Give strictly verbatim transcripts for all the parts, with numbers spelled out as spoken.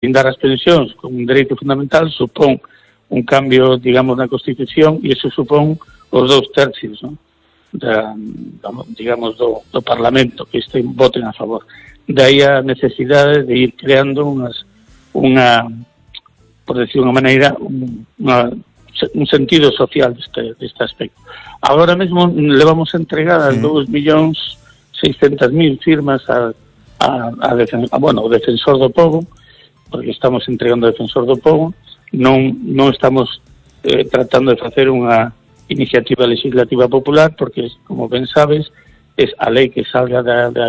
blindar as pensións como un dereito fundamental supón un cambio, digamos, na Constitución, e iso supón os dous tercios, non? Da, digamos, do, do Parlamento, que este voten a favor. De aí a necesidade de ir creando unhas, unha, por decir unha maneira, un, unha, un sentido social deste, deste aspecto. Agora mesmo levamos entregadas sí. dous millóns seiscentas mil firmas a, a, a, defen, a bueno, o Defensor do Pobo, porque estamos entregando o Defensor do Pobo. Non, non estamos eh, tratando de facer unha iniciativa legislativa popular, porque, como ben sabes, es a lei que salga da, da,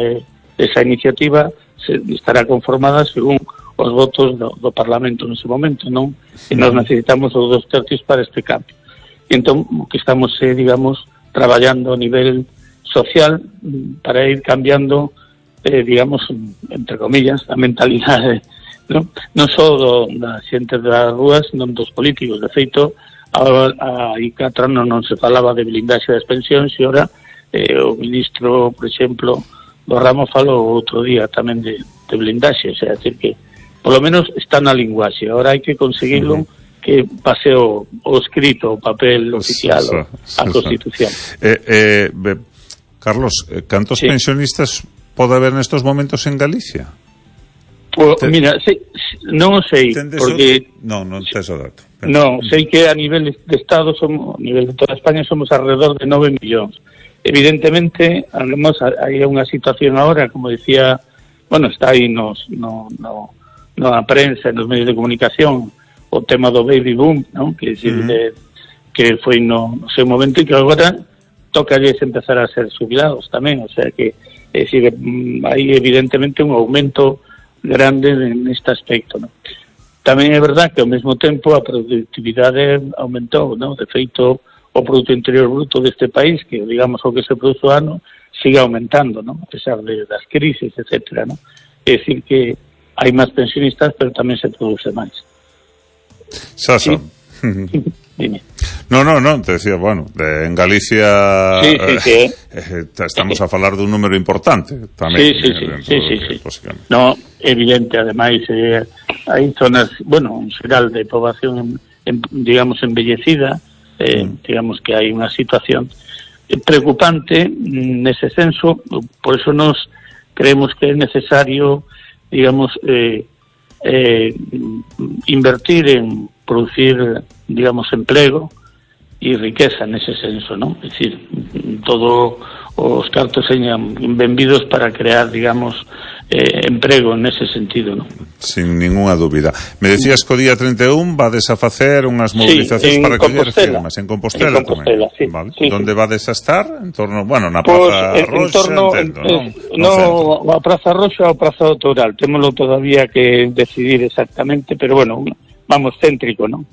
esa iniciativa se, estará conformada según os votos do, do Parlamento nese momento, non? E nós necesitamos os dos tercios para este cambio. E entón, que estamos, eh, digamos, traballando a nivel social para ir cambiando, eh, digamos, entre comillas, a mentalidade non, non só do, da xente das rúas, non dos políticos. De feito, a, a I catro non, non se falaba de blindaxe das pensións, e ora eh, o ministro, por exemplo, do ramo falou outro día tamén de, de blindaxe, o sea, decir que polo menos está na linguaxe. Ahora hai que conseguirlo, uh-huh. que pase o, o escrito, o papel oficial, sí, sí, a Constitución. Eh, eh, Carlos, cantos sí. pensionistas pode haber nestos momentos en Galicia? Pues, Ten... mira, sei, non o sei, porque... O... Non, non tes o dato. Non, sei que a nivel de Estado, somos, a nivel de toda España, somos alrededor de nove millóns. Evidentemente, además, hai unha situación agora, como decía, bueno, está aí nos, no, no, no a prensa, nos medios de comunicación, o tema do baby boom, non? Que, uh-huh. de, que foi no, no seu momento, e que agora toca empezar a ser jubilados tamén, o sea que, é dicir, hai evidentemente un aumento grande neste aspecto, ¿no? Tamén é verdad que ao mesmo tempo a productividade aumentou, ¿no? De feito, o Produto Interior Bruto deste país, que digamos o que se produce o ano, sigue aumentando, ¿no? A pesar de das crisis, etcétera, ¿no? É dicir que hai máis pensionistas, pero tamén se produce máis. Saso. ¿Sí? Dime. No, no, no, te decía, bueno, de, en Galicia sí, sí, sí, eh. Eh, estamos a falar dun número importante tamén. Sí, sí, sí, sí, sí, sí, sí. No, evidente, ademais, eh, hai zonas, bueno, en xeral de poboación, en, en, digamos, embellecida, eh, mm. digamos que hai unha situación preocupante nese senso, por eso nos creemos que é necesario, digamos, eh, eh, invertir en producir, digamos, empleo e riqueza nese senso, non? É dicir, todo os cartos señan benvidos para crear, digamos, eh, emprego nese sentido, non? Sin ninguna dúbida. Me decías que o día trinta e un vades a facer unhas movilizacións sí, para coller firmas en Compostela, en Compostela tamén. Sí, vale. Sí, Donde sí. vades a estar? En torno, bueno, na Praza pues, Roxa, en torno, entendo, en, non? No, no a Praza Roxa ou Praza do Toural. Témolo todavía que decidir exactamente, pero bueno, vamos, céntrico, non?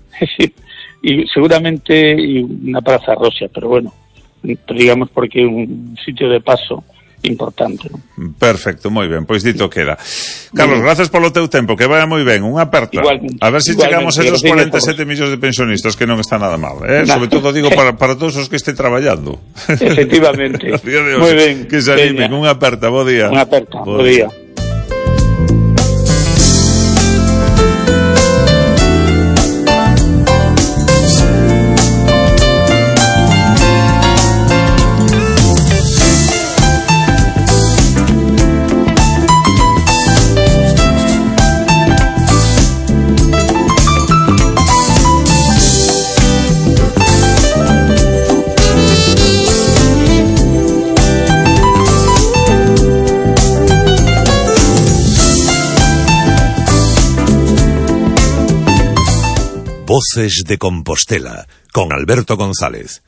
Y seguramente una Praza Roxa, pero bueno, digamos porque é un sitio de paso importante, ¿no? Perfecto, moi ben, pois dito queda. Carlos, gracias polo teu tempo, que vaya moi ben, unha aperta. Igualmente, a ver se si chegamos a esos cuarenta e sete millóns de pensionistas, que non está nada mal, eh? Nah. Sobre todo digo para, para todos os que estén traballando. Efectivamente. Moi ben. Que se animen, unha aperta, bo día. Unha aperta, bo día. Voces de Compostela, con Alberto González.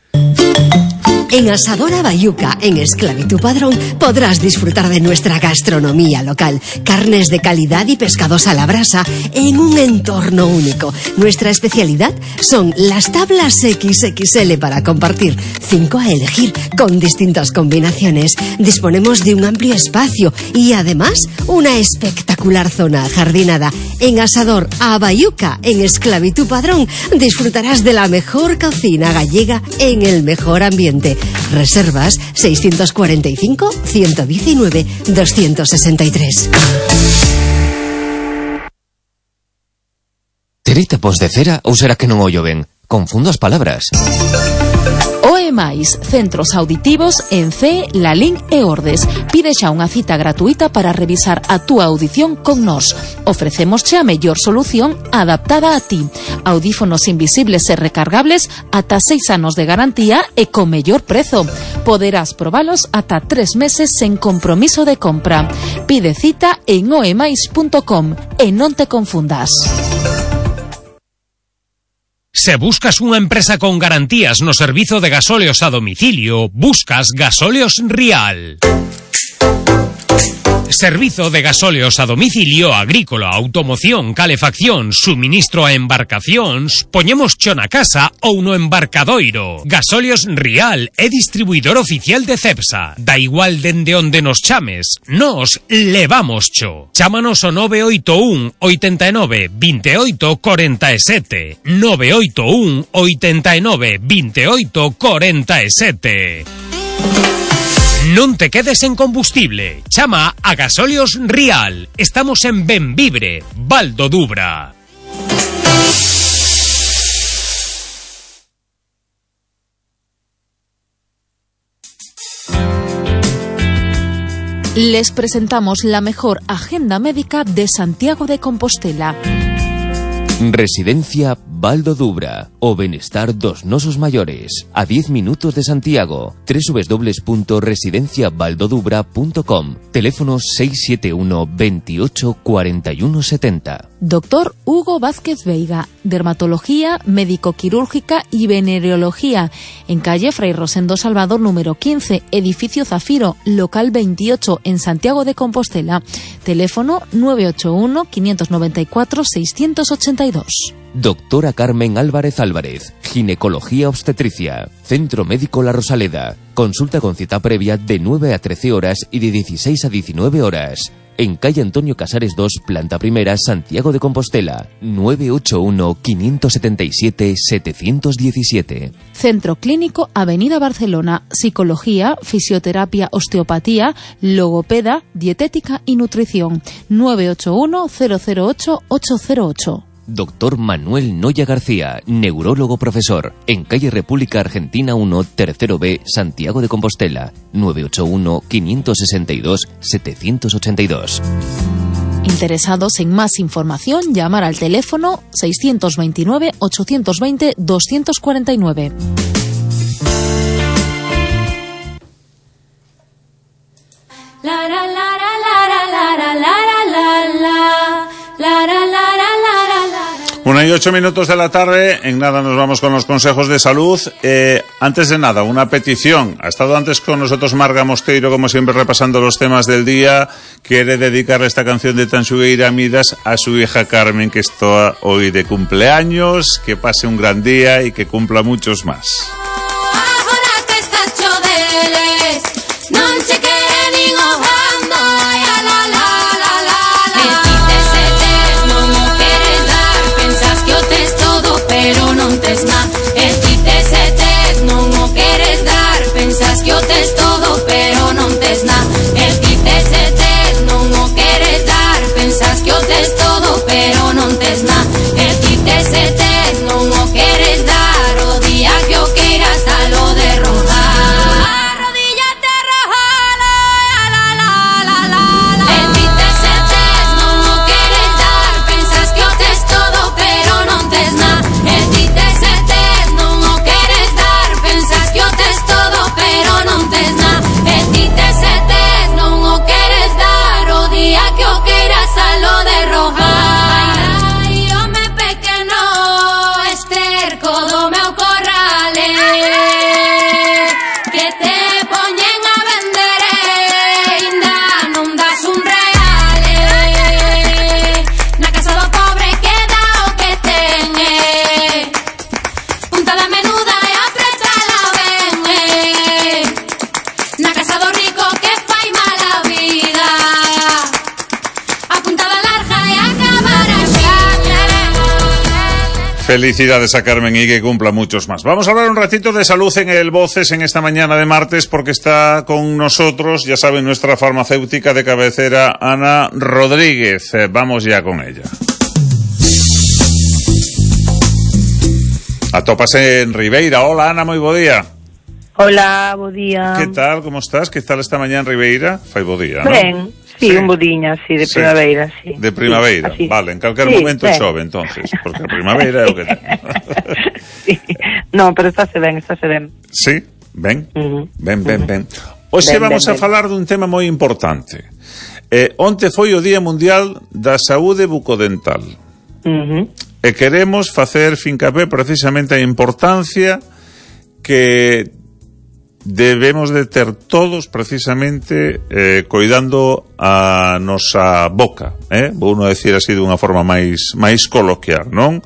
En Asadora Bayuca, en Esclavitud Padrón, podrás disfrutar de nuestra gastronomía local. Carnes de calidad y pescados a la brasa en un entorno único. Nuestra especialidad son las tablas equis equis ele para compartir. Cinco a elegir con distintas combinaciones. Disponemos de un amplio espacio y además una espectacular zona ajardinada. En Asador a Bayuca, en Esclavitud Padrón, disfrutarás de la mejor cocina gallega en el mejor ambiente. Reservas seiscientos cuarenta y cinco, ciento diecinueve, doscientos sesenta y tres. Terei tapóns de cera ou será que non ollo ben? Confundo as palabras. O E máis, centros auditivos en C E, Lalín e Ordes. Pide xa unha cita gratuita para revisar a túa audición con nós. Ofrecémosche a mellor solución adaptada a ti. Audífonos invisibles e recargables ata seis anos de garantía e con mellor prezo. Poderás probalos ata tres meses sen compromiso de compra. Pide cita en oemais punto com e non te confundas. Se buscas unha empresa con garantías no servizo de gasóleos a domicilio, buscas Gasóleos Rial. Servizo de gasóleos a domicilio agrícola, automoción, calefacción, suministro a embarcacións, poñemos cho na casa ou no embarcadoiro. Gasóleos Rial é distribuidor oficial de Cepsa. Da igual dende onde nos chames, nos levamos cho. Chámanos ao nove oito un, oitenta e nove, veintioito, cuarenta e sete. nove oito un, oitenta e nove, veintioito, cuarenta e sete. Non te quedes en combustible. Chama a Gasóleos Rial. Estamos en Benvibre, Val do Dubra. Les presentamos la mejor agenda médica de Santiago de Compostela. Residencia Val do Dubra, o benestar dos nosos maiores, a diez minutos de Santiago. doble u doble u doble u punto residencia valdodubra punto com. Teléfono seis siete uno, veintiocho, cuarenta y uno setenta. Doctor Hugo Vázquez Veiga, dermatología, médico-quirúrgica y venereología, en calle Fray Rosendo Salvador número quince, edificio Zafiro, local veintiocho, en Santiago de Compostela. Teléfono nueve ocho uno, quinientos noventa y cuatro, seiscientos ochenta y dos. Doctora Carmen Álvarez Álvarez, ginecología obstetricia, Centro Médico La Rosaleda, consulta con cita previa de nueve a trece horas y de dieciséis a diecinueve horas. En calle Antonio Casares dos, planta primera, Santiago de Compostela, nueve ocho uno, quinientos setenta y siete, setecientos diecisiete. Centro Clínico Avenida Barcelona, psicología, fisioterapia, osteopatía, logopeda, dietética y nutrición, nueve ocho uno, cero cero ocho, ocho cero ocho. Doctor Manuel Noya García, neurólogo profesor, en calle República Argentina uno, tercero B, Santiago de Compostela, nueve ocho uno, quinientos sesenta y dos, setecientos ochenta y dos. Interesados en más información, llamar al teléfono seiscientos veintinueve, ochocientos veinte, doscientos cuarenta y nueve. La la la la la la la la la la la la la. Una y ocho minutos de la tarde, en nada nos vamos con los consejos de salud. Eh, antes de nada, una petición. Ha estado antes con nosotros Marga Mosteiro, como siempre, repasando los temas del día. Quiere dedicarle esta canción de Tanxugueira Midas a su hija Carmen, que está hoy de cumpleaños. Que pase un gran día y que cumpla muchos más. Pero non tes na, e ti tes e tes, non o queres dar. Pensas que o tes todo, pero non tes na, e ti tes e tes, non o queres dar. Pensas que o tes todo, pero non tes na, e ti tes e tes, non o queres dar. O día que o queirasalo de rojar. Arrodíllate a rojar, la la la la la la. E ti tes e tes, non o queres dar. Pensas que o tes todo, pero non tes na. Pero non tes na, e ti tes e tes, non o queres dar. O día que o queiras alo de rojar. Ai, home pequeno, esterco do meu corral, que te poñen a vender, ainda non das un real. Na casa do pobre queda o que ten, punta da menuda e apretala ben. Na casa do rico que fai mala vida, apuntada larga e acabar así. Felicidades a Carmen y que cumpla muchos más. Vamos a hablar un ratito de salud en el Voces en esta mañana de martes, porque está con nosotros, ya saben, nuestra farmacéutica de cabecera, Ana Rodríguez. Eh, vamos ya con ella. Atópase en Ribeira. Hola, Ana, moi bo día. Hola, bo día. Que tal, como estás? Que tal esta mañá en Ribeira? Fai bo día, non? Ben, sí, sí, un bodiña, sí, de sí. primavera, sí. De primavera, sí, vale, en calquer sí, momento ben. chove, entonces, porque a primavera é o que ten. Sí. No, pero estáse ben, estáse ben. Sí, ben, Uh-huh. ben, ben, Uh-huh. ben. Hoxe Ben, vamos ben, a ben. falar dun tema moi importante. Eh, onte foi o Día Mundial da Saúde Bucodental. Uh-huh. E queremos facer fincapé precisamente a importancia que debemos de ter todos precisamente eh, coidando a nosa boca, eh? Vou non decir así dunha forma máis máis coloquial, non?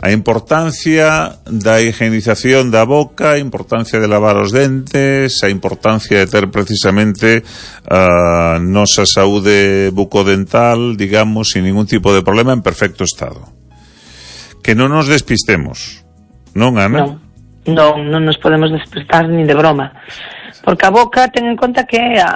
A importancia da higienización da boca, a importancia de lavar os dentes, a importancia de ter precisamente a nosa saúde bucodental, digamos, sin ningún tipo de problema, en perfecto estado. Que non nos despistemos, non, Ana? Non, non, non nos podemos despertar ni de broma. Porque a boca, ten en conta que a,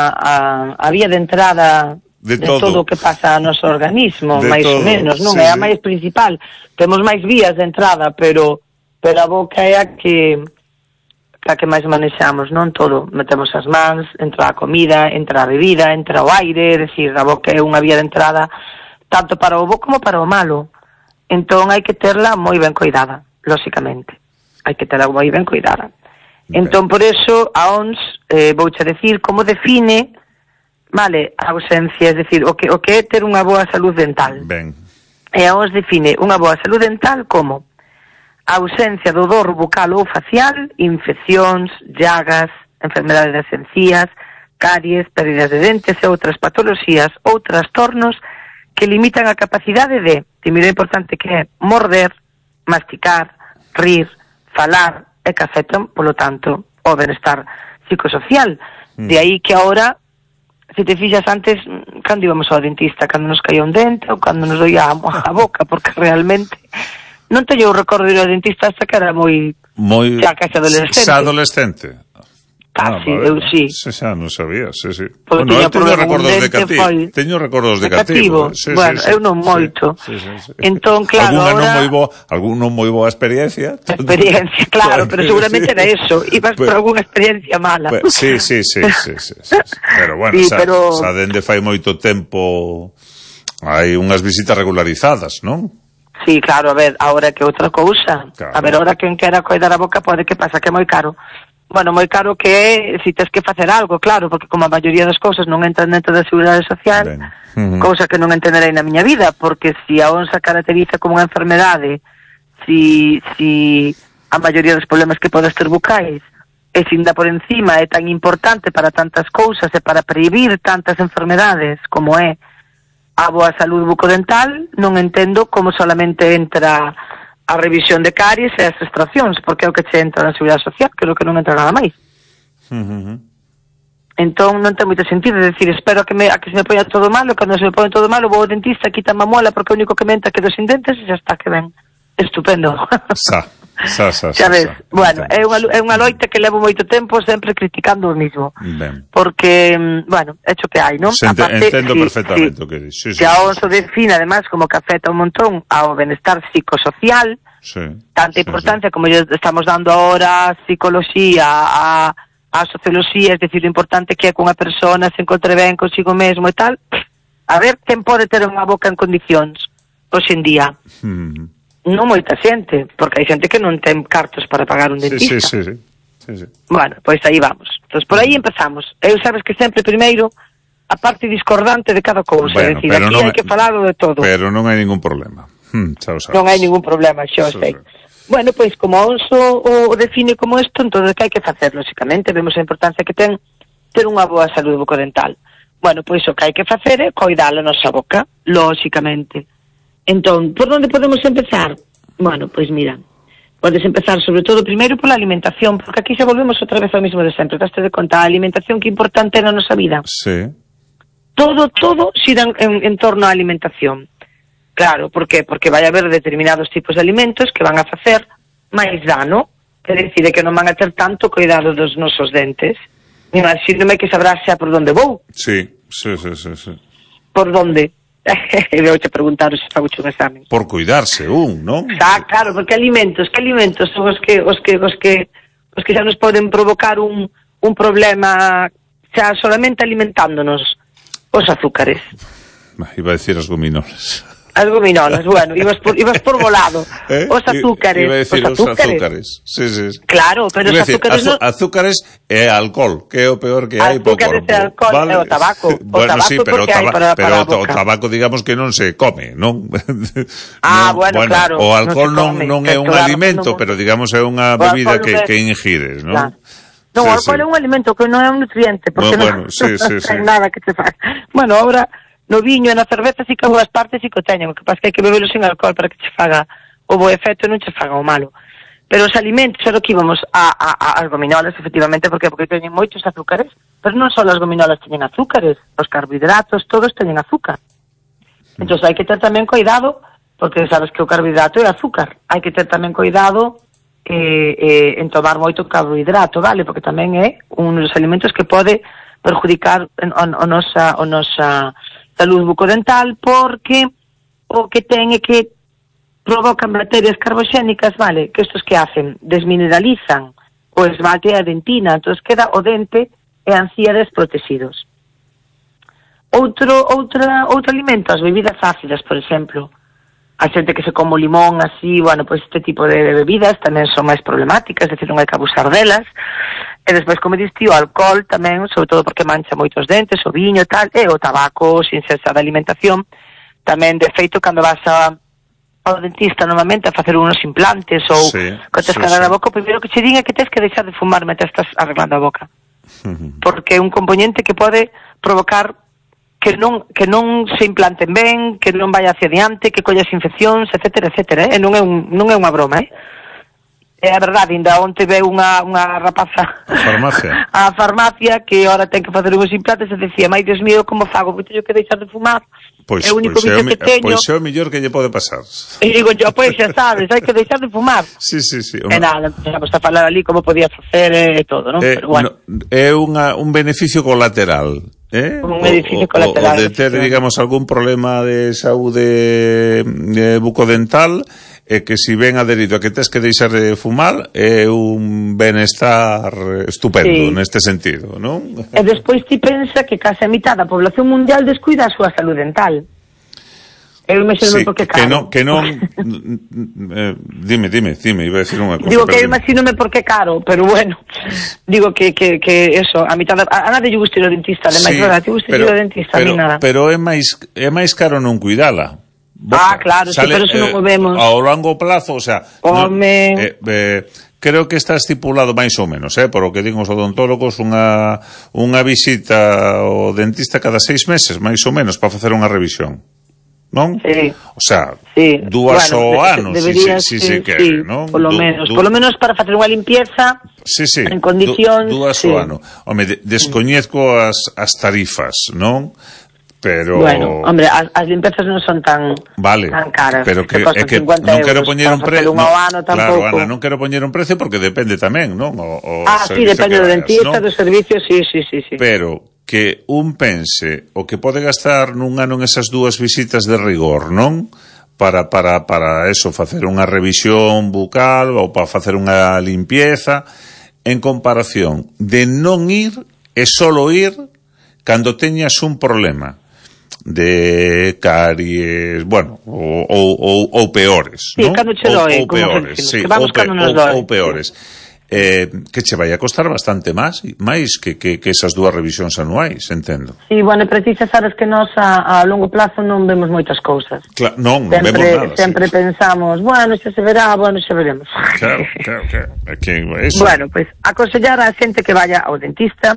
a, a vía de entrada de, de todo. todo o que pasa no noso organismo, de máis todo. ou menos, non? Sí, É a sí. máis principal. Temos máis vías de entrada, pero pero a boca é a que a que máis manexamos, non? Todo. Metemos as mans, entra a comida, entra a bebida, entra o aire, é dicir, a boca é unha vía de entrada tanto para o bo como para o malo. Entón hai que terla moi ben cuidada, lóxicamente. Hai que terla moi ben cuidada. Ben. Entón, por eso, a O M S, eh, vouche decir como define, vale, a ausencia, é dicir, o que, o que é ter unha boa salud dental. Ben. E a O M S define unha boa salud dental como a ausencia do dor bucal ou facial, infeccións, llagas, enfermedades das encías, caries, pérdidas de dentes e outras patoloxías ou trastornos que limitan a capacidade de, e mira o importante que é, morder, masticar, rir, falar e que afectan, polo tanto, o benestar psicosocial. Mm. De aí que ahora, se te fixas antes, cando íbamos ao dentista, cando nos caía un dente ou cando nos doía a, a boca, porque realmente non teño o recordo de ir ao dentista hasta que era moi... Moi... xa case adolescente. Xa adolescente. Casi, Ah, vale. eu sí. Se xa non sabía, sí, sí. Porque Bueno, eu tiña teño problema recordos cun de dente, cativo. foi- Teño recordos de de cativo. cativo. Sí, Bueno, sí, sí, eu non moito. Sí, sí, sí. Entón, claro, Alguna non ahora- moi boa, alguna moi boa experiencia. Experiencia, claro, pero seguramente era eso. Ibas por Pero- algunha experiencia mala. Pues, sí, sí, sí, sí, sí, sí, sí. Pero bueno, Sí, xa, pero- xa dende fai moito tempo hai unhas visitas regularizadas, non? Sí, claro, a ver, ahora que outra cousa. Claro. A ver, ahora quen quera coidar a boca pode que pasa que é moi caro. Bueno, moi caro que é si tes que facer algo, claro, porque como a maioría das cousas non entran dentro da Seguridade Social, Ben. Ujú. cousa que non entenderei na miña vida, porque si a onza caracteriza como unha enfermedade, si, si a maioría dos problemas que podes ter bucais, e sin da por encima é tan importante para tantas cousas e para previr tantas enfermedades como é a boa salud bucodental, non entendo como solamente entra a revisión de caries e as extraccións, porque é o que che entra na Seguridade Social, que é o que non entra nada máis. Uh-huh. Entón non ten moito sentido, é dicir, espero a que, me, a que se me poña todo malo, cando se me poña todo malo vou ao dentista, quita a muela porque o único que me entra quedo sin dentes e xa está, que ben. Estupendo. Sa, sa, sa, Xa sa, ves, sa. bueno, é unha, é unha loita que levo moito tempo sempre criticando o mismo. Ben. Porque, mm, bueno, hecho que hai, non? Se ente, entendo sí, perfectamente sí, o que dis. Sí, sí, que a sí, O M S o define, además, como que afecta un montón ao benestar psicosocial, sí, tanta sí, importancia como lle estamos dando ahora a psicología, a, a socioloxía, es decir, o importante que é que unha persona se encontre ben consigo mesmo e tal. A ver, quen pode ter unha boca en condicións hoxe en día? sí. Mm. Non moita xente, porque hai xente que non ten cartos para pagar un Sí, dentista. sí, sí, sí, sí, sí. Bueno, pois aí vamos. Entón, por aí empezamos. Eu sabes que sempre primeiro a parte discordante de cada cousa, Bueno, é dicir, pero aquí non hai é- que falar de todo. Pero non hai ningún problema. Hmm, xa o sabes. Non hai ningún problema, xo Xa o sei. sabes. Bueno, pois como a O M S o, o define como isto, entón que hai que facer, lóxicamente, vemos a importancia que ten ter unha boa saúde bucodental. Bueno, pois o que hai que facer é coidar a nosa boca, lóxicamente. Entón, por onde podemos empezar? Bueno, pois mira, podes empezar sobre todo primeiro pola alimentación, porque aquí xa volvemos outra vez ao mismo de sempre, daste de conta a alimentación que importante é na nosa vida. Sí. Todo, todo xira en, en torno á alimentación. Claro, por qué? Porque vai haber determinados tipos de alimentos que van a facer máis dano, que decide que non van a ter tanto cuidado dos nosos dentes. Imagínome que sabrás xa por onde vou. Sí, sí, sí, sí, sí. Por onde? E veo te preguntar se fago un examen. Por cuidarse un, non? Xa, claro, porque alimentos, que alimentos son os que os que os que os que xa nos poden provocar un un problema xa solamente alimentándonos? Os azúcares. Iba a decir as gominolas. As gominolas, bueno, ibas por, ibas por volado. ¿Eh? Os azúcares. Iba a decir os azúcares. Os azúcares. Sí, sí. Claro, pero os azúcares no... azúcares e alcohol, que é o peor que hai po corpo. Azúcares e alcohol, vale. E o tabaco. O bueno, tabaco sí, pero, o, taba para, pero para o tabaco, digamos que non se come, non? Ah, non, bueno, bueno, claro. O alcohol non, come, non é un claro, alimento, no... pero digamos é unha bebida que, é... que ingires, non? Claro. Non, o alcohol sí. É un alimento que non é un nutriente, porque bueno, non, sí, sí, non sí. ten nada que te faga. Bueno, ahora... No viño e na cerveza si que algunhas partes si que o teñen, o que pasa que hai que bebelo sin alcohol para que che faga o bo efecto e non che faga o malo. Pero os alimentos, era o que íbamos a, a, a, as gominolas, efectivamente, porque porque teñen moitos azúcares, pero non só as gominolas teñen azúcares, os carbohidratos, todos teñen azúcar. Entón hai que ter tamén cuidado, porque sabes que o carbohidrato é azúcar, hai que ter tamén cuidado eh, eh, en tomar moito carbohidrato, vale? Porque tamén é un dos alimentos que pode perjudicar o, o nosa, o nosa salud bucodental, porque o que ten é que provocan bacterias carboxénicas, vale, que estos que hacen, desmineralizan o esmalte e a dentina, entón queda o dente e a encía desprotegidos. Outro, outra, outro alimento, as bebidas ácidas, por exemplo. A xente que se come limón así, bueno, pois este tipo de bebidas tamén son máis problemáticas, é dicir, non hai que abusar delas. E despois, como diste, o alcohol tamén, sobre todo porque mancha moitos dentes, o viño e tal, e o tabaco, sin cesar de alimentación. Tamén, de feito, cando vas a, ao dentista normalmente a facer unos implantes ou sí, que te escalar sí, sí. a boca, o primeiro que che din é que tens que deixar de fumar mentre estás arreglando a boca. Uh-huh. Porque é un componente que pode provocar que non que non se implanten ben, que non vai hacia diante, que collas infeccións, etcétera, etcétera, eh? E non é un non é unha broma, eh? É a verdade, ainda onte veu unha, unha rapaza a farmacia a farmacia que ahora ten que facer uns implantes e decía, mai Dios mío, como fago? Porque teño que deixar de fumar. Pois, é o único pois vicio que teño. Pois é o mellor que lle pode pasar. E digo yo, pois xa sabes, hai que deixar de fumar. Sí, sí, sí. E nada, empezamos a falar ali como podía facer e todo, non? Eh, Pero bueno. No, é unha, un beneficio colateral. Eh? Un beneficio o, colateral. O, o de ter, digamos, algún problema de saúde de bucodental, e que si ven adherido a que tes que deixar de fumar, é un benestar estupendo, sí, neste sentido, non? E despois ti pensa que case a mitad da población mundial descuida a súa salud dental. Eu imagino sí, porque que non, caro. que non eh, dime, dime, dime, iba a decir unha cosa. Digo que eu imagínome porque caro, pero bueno, digo que, que, que eso, a mitad da, a nadie lle gusta ir ao dentista, ademais, sí, verdad, te gusta ir ao dentista, pero, a mí nada. Pero é máis é máis caro non cuidala. Boca. Ah, claro, sale, sí, pero eso eh, non o vemos. Ao longo plazo, o sea, Home... no, eh, eh, creo que está estipulado máis ou menos, eh, por o que digo os odontólogos, unha unha visita ao dentista cada seis meses, máis ou menos, para facer unha revisión. Non? Sí. O sea, sí. dúas bueno, ao ano, de, si, si, si, sí, si quere, sí, non? Por lo du, menos, du, por lo menos para facer unha limpieza sí, sí, en condicións. Du, dúas sí. ao ano. Home, de, descoñezco as, as tarifas, non? Pero... Bueno, hombre, as, as limpezas non son tan, vale, tan caras. Pero que, é que non quero poñer un precio... No, claro, Ana, non quero poñer un precio porque depende tamén, non? O, o ah, sí, depende do dentista, ¿no? Do servicio, sí, sí, sí, sí. Pero que un pense o que pode gastar nun ano en esas dúas visitas de rigor, non? Para, para, para eso, facer unha revisión bucal ou para facer unha limpieza, en comparación de non ir e solo ir cando teñas un problema de caries, bueno, ou, ou, ou peores, sí, ¿no? Cando che doe, ou, ou peores, sí, que vamos ou, pe, nos ou, ou peores. Eh, que che vai a costar bastante máis máis que, que, que esas dúas revisións anuais, entendo. Sí, bueno, precisa, sabes que nós a, a longo plazo non vemos moitas cousas. Claro, non, non sempre, vemos nada. Sempre sí. Pensamos, bueno, xa se verá, bueno, xa veremos. Claro, claro, claro. Que eso... Bueno, pues aconsellar a xente que vaya ao dentista,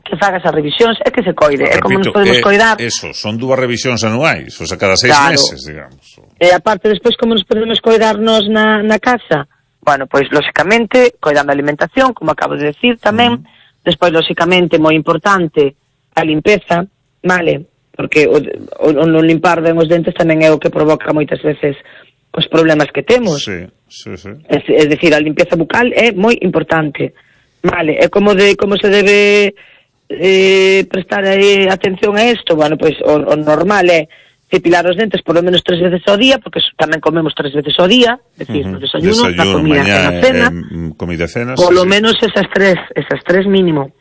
que faga esas revisións e que se coide. Repito, é como nos podemos eh, coidar. Eso, son dúas revisións anuais, o sea, cada seis claro. meses, digamos. E aparte, despois, como nos podemos coidarnos na, na casa? Bueno, pois, lóxicamente, coidando a alimentación, como acabo de decir tamén, mm. despois, lóxicamente, moi importante, a limpeza, vale? Porque o, o, o non limpar ben os dentes tamén é o que provoca moitas veces os problemas que temos. Sí, sí, sí. Es, es decir, a limpeza bucal é moi importante, vale? É como de como se debe eh, prestar eh, atención a isto, bueno, pois, o, o normal é cepilar os dentes polo menos tres veces ao día, porque tamén comemos tres veces ao día, é dicir, uh-huh. no desayuno, desayuno, na comida mañá, e na cena, eh, comida e cena, polo sí, menos esas tres, esas tres mínimo.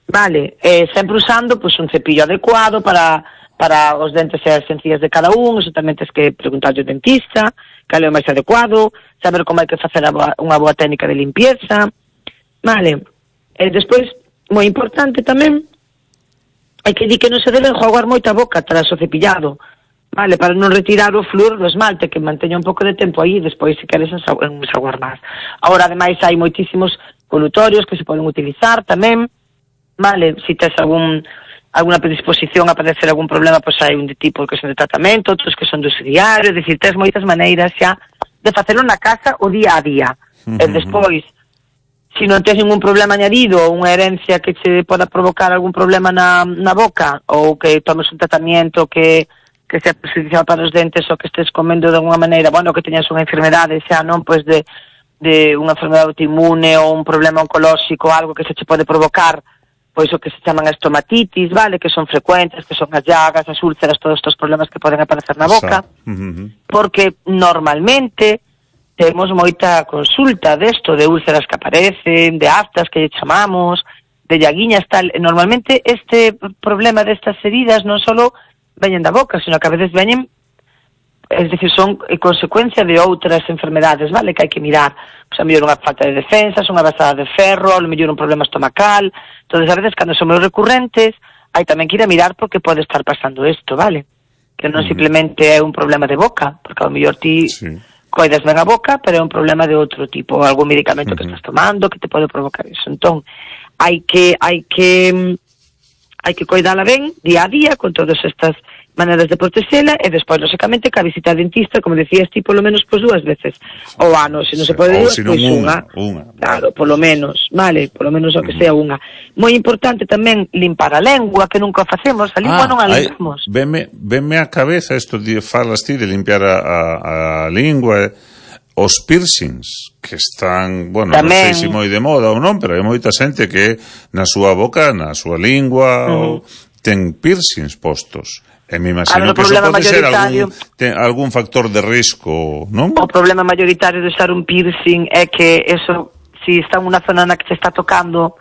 Vale, eh, sempre usando pues, un cepillo adecuado para, para os dentes e as encías de cada un, eso tamén tens que preguntar ao dentista, cal é o máis adecuado, saber como hai que facer a boa, unha boa técnica de limpieza, vale. E despois, moi importante tamén, hai que dir que non se debe enjuagar moito a boca tras o cepillado, vale, para non retirar o flúor do esmalte, que manteña un pouco de tempo aí, despois se queres enxaguar máis. Agora, ademais, hai moitísimos colutorios que se poden utilizar tamén, vale, se tes algún, alguna predisposición a padecer algún problema, pois hai un de tipo que son de tratamento, outros que son de uso diario, é dicir, tes moitas maneiras xa de facelo na casa o día a día. Uh-huh. E despois, se non tes ningún problema añadido ou unha herencia que che poda provocar algún problema na, na boca, ou que tomes un tratamento que que sea perjudicial para os dentes ou que estés comendo de alguma maneira, bueno, que teñas unha enfermedade xa, non, pois de, de unha enfermedade autoinmune ou un problema oncolóxico, algo que se che pode provocar, pois o que se chaman estomatitis, vale, que son frecuentes, que son as llagas, as úlceras, todos estes problemas que poden aparecer na boca, uh-huh. porque normalmente temos moita consulta desto, de úlceras que aparecen, de aftas que lle chamamos, de llaguiñas, tal. Normalmente este problema destas heridas non só veñen da boca, sino que a veces veñen, es decir, son consecuencia de outras enfermedades, vale, que hai que mirar. Pois a mellor unha falta de defensas, unha basada de ferro, a mellor un problema estomacal. Entonces, a veces, cando son moi recurrentes, hai tamén que ir a mirar porque pode estar pasando isto, vale? Que non mm. simplemente é un problema de boca, porque a mellor ti sí. coidas ben a boca, pero é un problema de outro tipo, algún medicamento mm-hmm. que estás tomando que te pode provocar iso. Entón, hai que hai que hai que coidala ben día a día con todas estas maneiras de protexela e despois, lógicamente, que a visita ao dentista, como decías ti, polo menos pois dúas veces ao ano, se non se pode dúas, pois unha, unha, claro, polo menos, vale, polo menos o que sea unha. Moi importante tamén limpar a lengua, que nunca facemos, a lingua ah, non a limpamos. Venme, venme a cabeza isto de falas ti de limpiar a, a, a lingua, os piercings, que están, bueno, tamén, non sei se moi de moda ou non, pero hai moita xente que na súa boca, na súa lingua, uh-huh. ten piercings postos. E me imagino que eso pode ser algún, ten, algún factor de risco, non? O problema mayoritario de usar un piercing é que eso, si está en unha zona na que se está tocando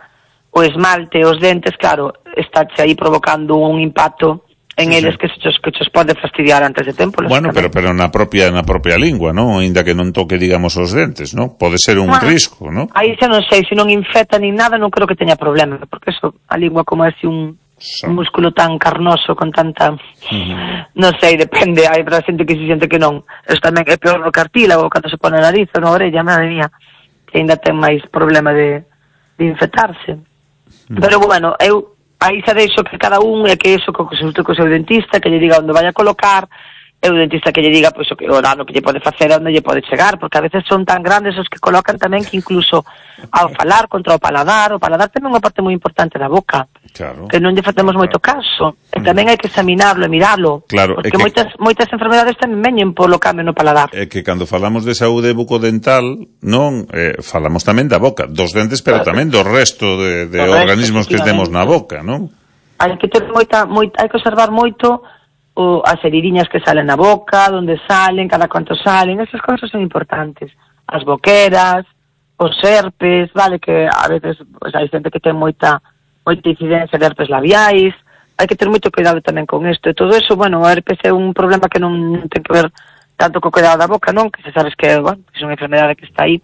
o esmalte, os dentes, claro, estáche aí provocando un impacto en sí, eles sí. que se chos, que chos pode fastidiar antes de tempo. Bueno, pero pero na propia na propia lingua, non? Ainda que non toque, digamos, os dentes, non? Pode ser un bueno, risco, non? Aí xa non sei, se non infecta nin nada, non creo que teña problema, porque eso, a lingua como é así un un músculo tan carnoso, con tanta... Uh-huh. Non sei, depende, hai pra xente que se siente que non. Eso tamén é peor no cartílago, cando se pone a nariz ou na orella, madre mía, que ainda ten máis problema de, de infectarse. Uh-huh. Pero bueno, eu aí xa deixo que cada un, é que iso que consulte co seu dentista, que lle diga onde vai a colocar, e o dentista que lle diga pois, o, que, o dano que lle pode facer, onde lle pode chegar, porque a veces son tan grandes os que colocan tamén que incluso ao falar contra o paladar, o paladar ten unha parte moi importante da boca, claro, que non lle facemos claro. moito caso, e tamén hai que examinarlo e miralo, claro, porque que, moitas moitas enfermedades tamén veñen polo cambio no paladar. É que cando falamos de saúde bucodental, non, eh, falamos tamén da boca, dos dentes, pero claro. tamén do resto de, de organismos resto, que temos na boca, non? Hai que ter moita, moita hai que observar moito o as heridiñas que salen na boca, onde salen, cada cuanto salen, esas cousas son importantes. As boqueras, os herpes, vale, que a veces pues, hai xente que ten moita moita incidencia de herpes labiais, hai que ter moito cuidado tamén con isto. E todo eso, bueno, o herpes é un problema que non ten que ver tanto co cuidado da boca, non? Que se sabes que, bueno, que é unha enfermedade que está aí.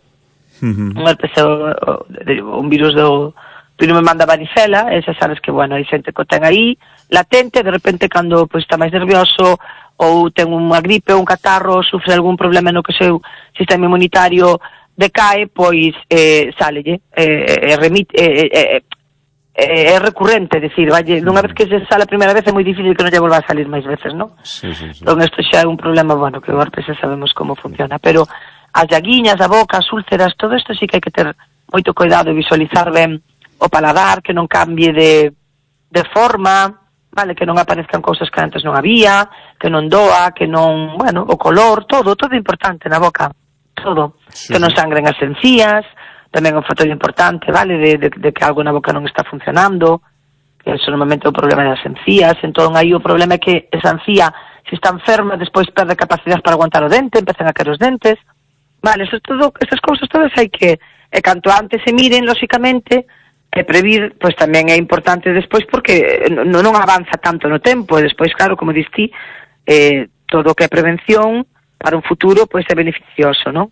Uh-huh. Un herpes é o, o, un virus do virus me manda varicela, e xa sabes que, bueno, hai xente que o ten aí, latente, de repente cando pois, está máis nervioso ou ten unha gripe ou un catarro, sufre algún problema no que o seu sistema inmunitario decae, pois eh, sálelle, eh, eh, remite, eh, eh, eh, é recurrente, decir, valle, dunha vez que se sale a primeira vez é moi difícil que non lle volva a salir máis veces, non? Sí, sí, sí. Entón, isto xa é un problema, bueno, que o herpes xa sabemos como funciona, pero as llaguiñas, a boca, as úlceras, todo isto sí que hai que ter moito cuidado e visualizar ben o paladar, que non cambie de, de forma, vale, que non aparezcan cousas que antes non había, que non doa, que non, bueno, o color, todo, todo importante na boca, todo, sí, que non sangren as encías, tamén é un factor importante, vale, de, de, de que algo na boca non está funcionando, que eso normalmente é o problema das encías, entón aí o problema é que esa encía, se se está enferma, despois perde capacidade para aguantar o dente, empezan a caer os dentes. Vale, eso todo, esas cousas todas hai que, e canto antes se miren, lóxicamente, e previr, pois tamén é importante despois porque non, non avanza tanto no tempo, e despois, claro, como dis ti, eh, todo o que é prevención para un futuro, pois é beneficioso, non?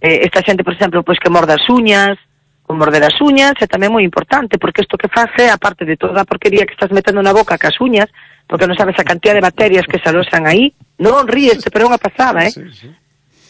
Eh, esta xente, por exemplo, pois que morde as uñas, o morder as uñas é tamén moi importante, porque isto que faz é, aparte de toda a porquería que estás metendo na boca cas uñas, porque non sabes a cantidad de bacterias que se alosan aí, non ríes, pero é unha pasada, eh? Sí, sí.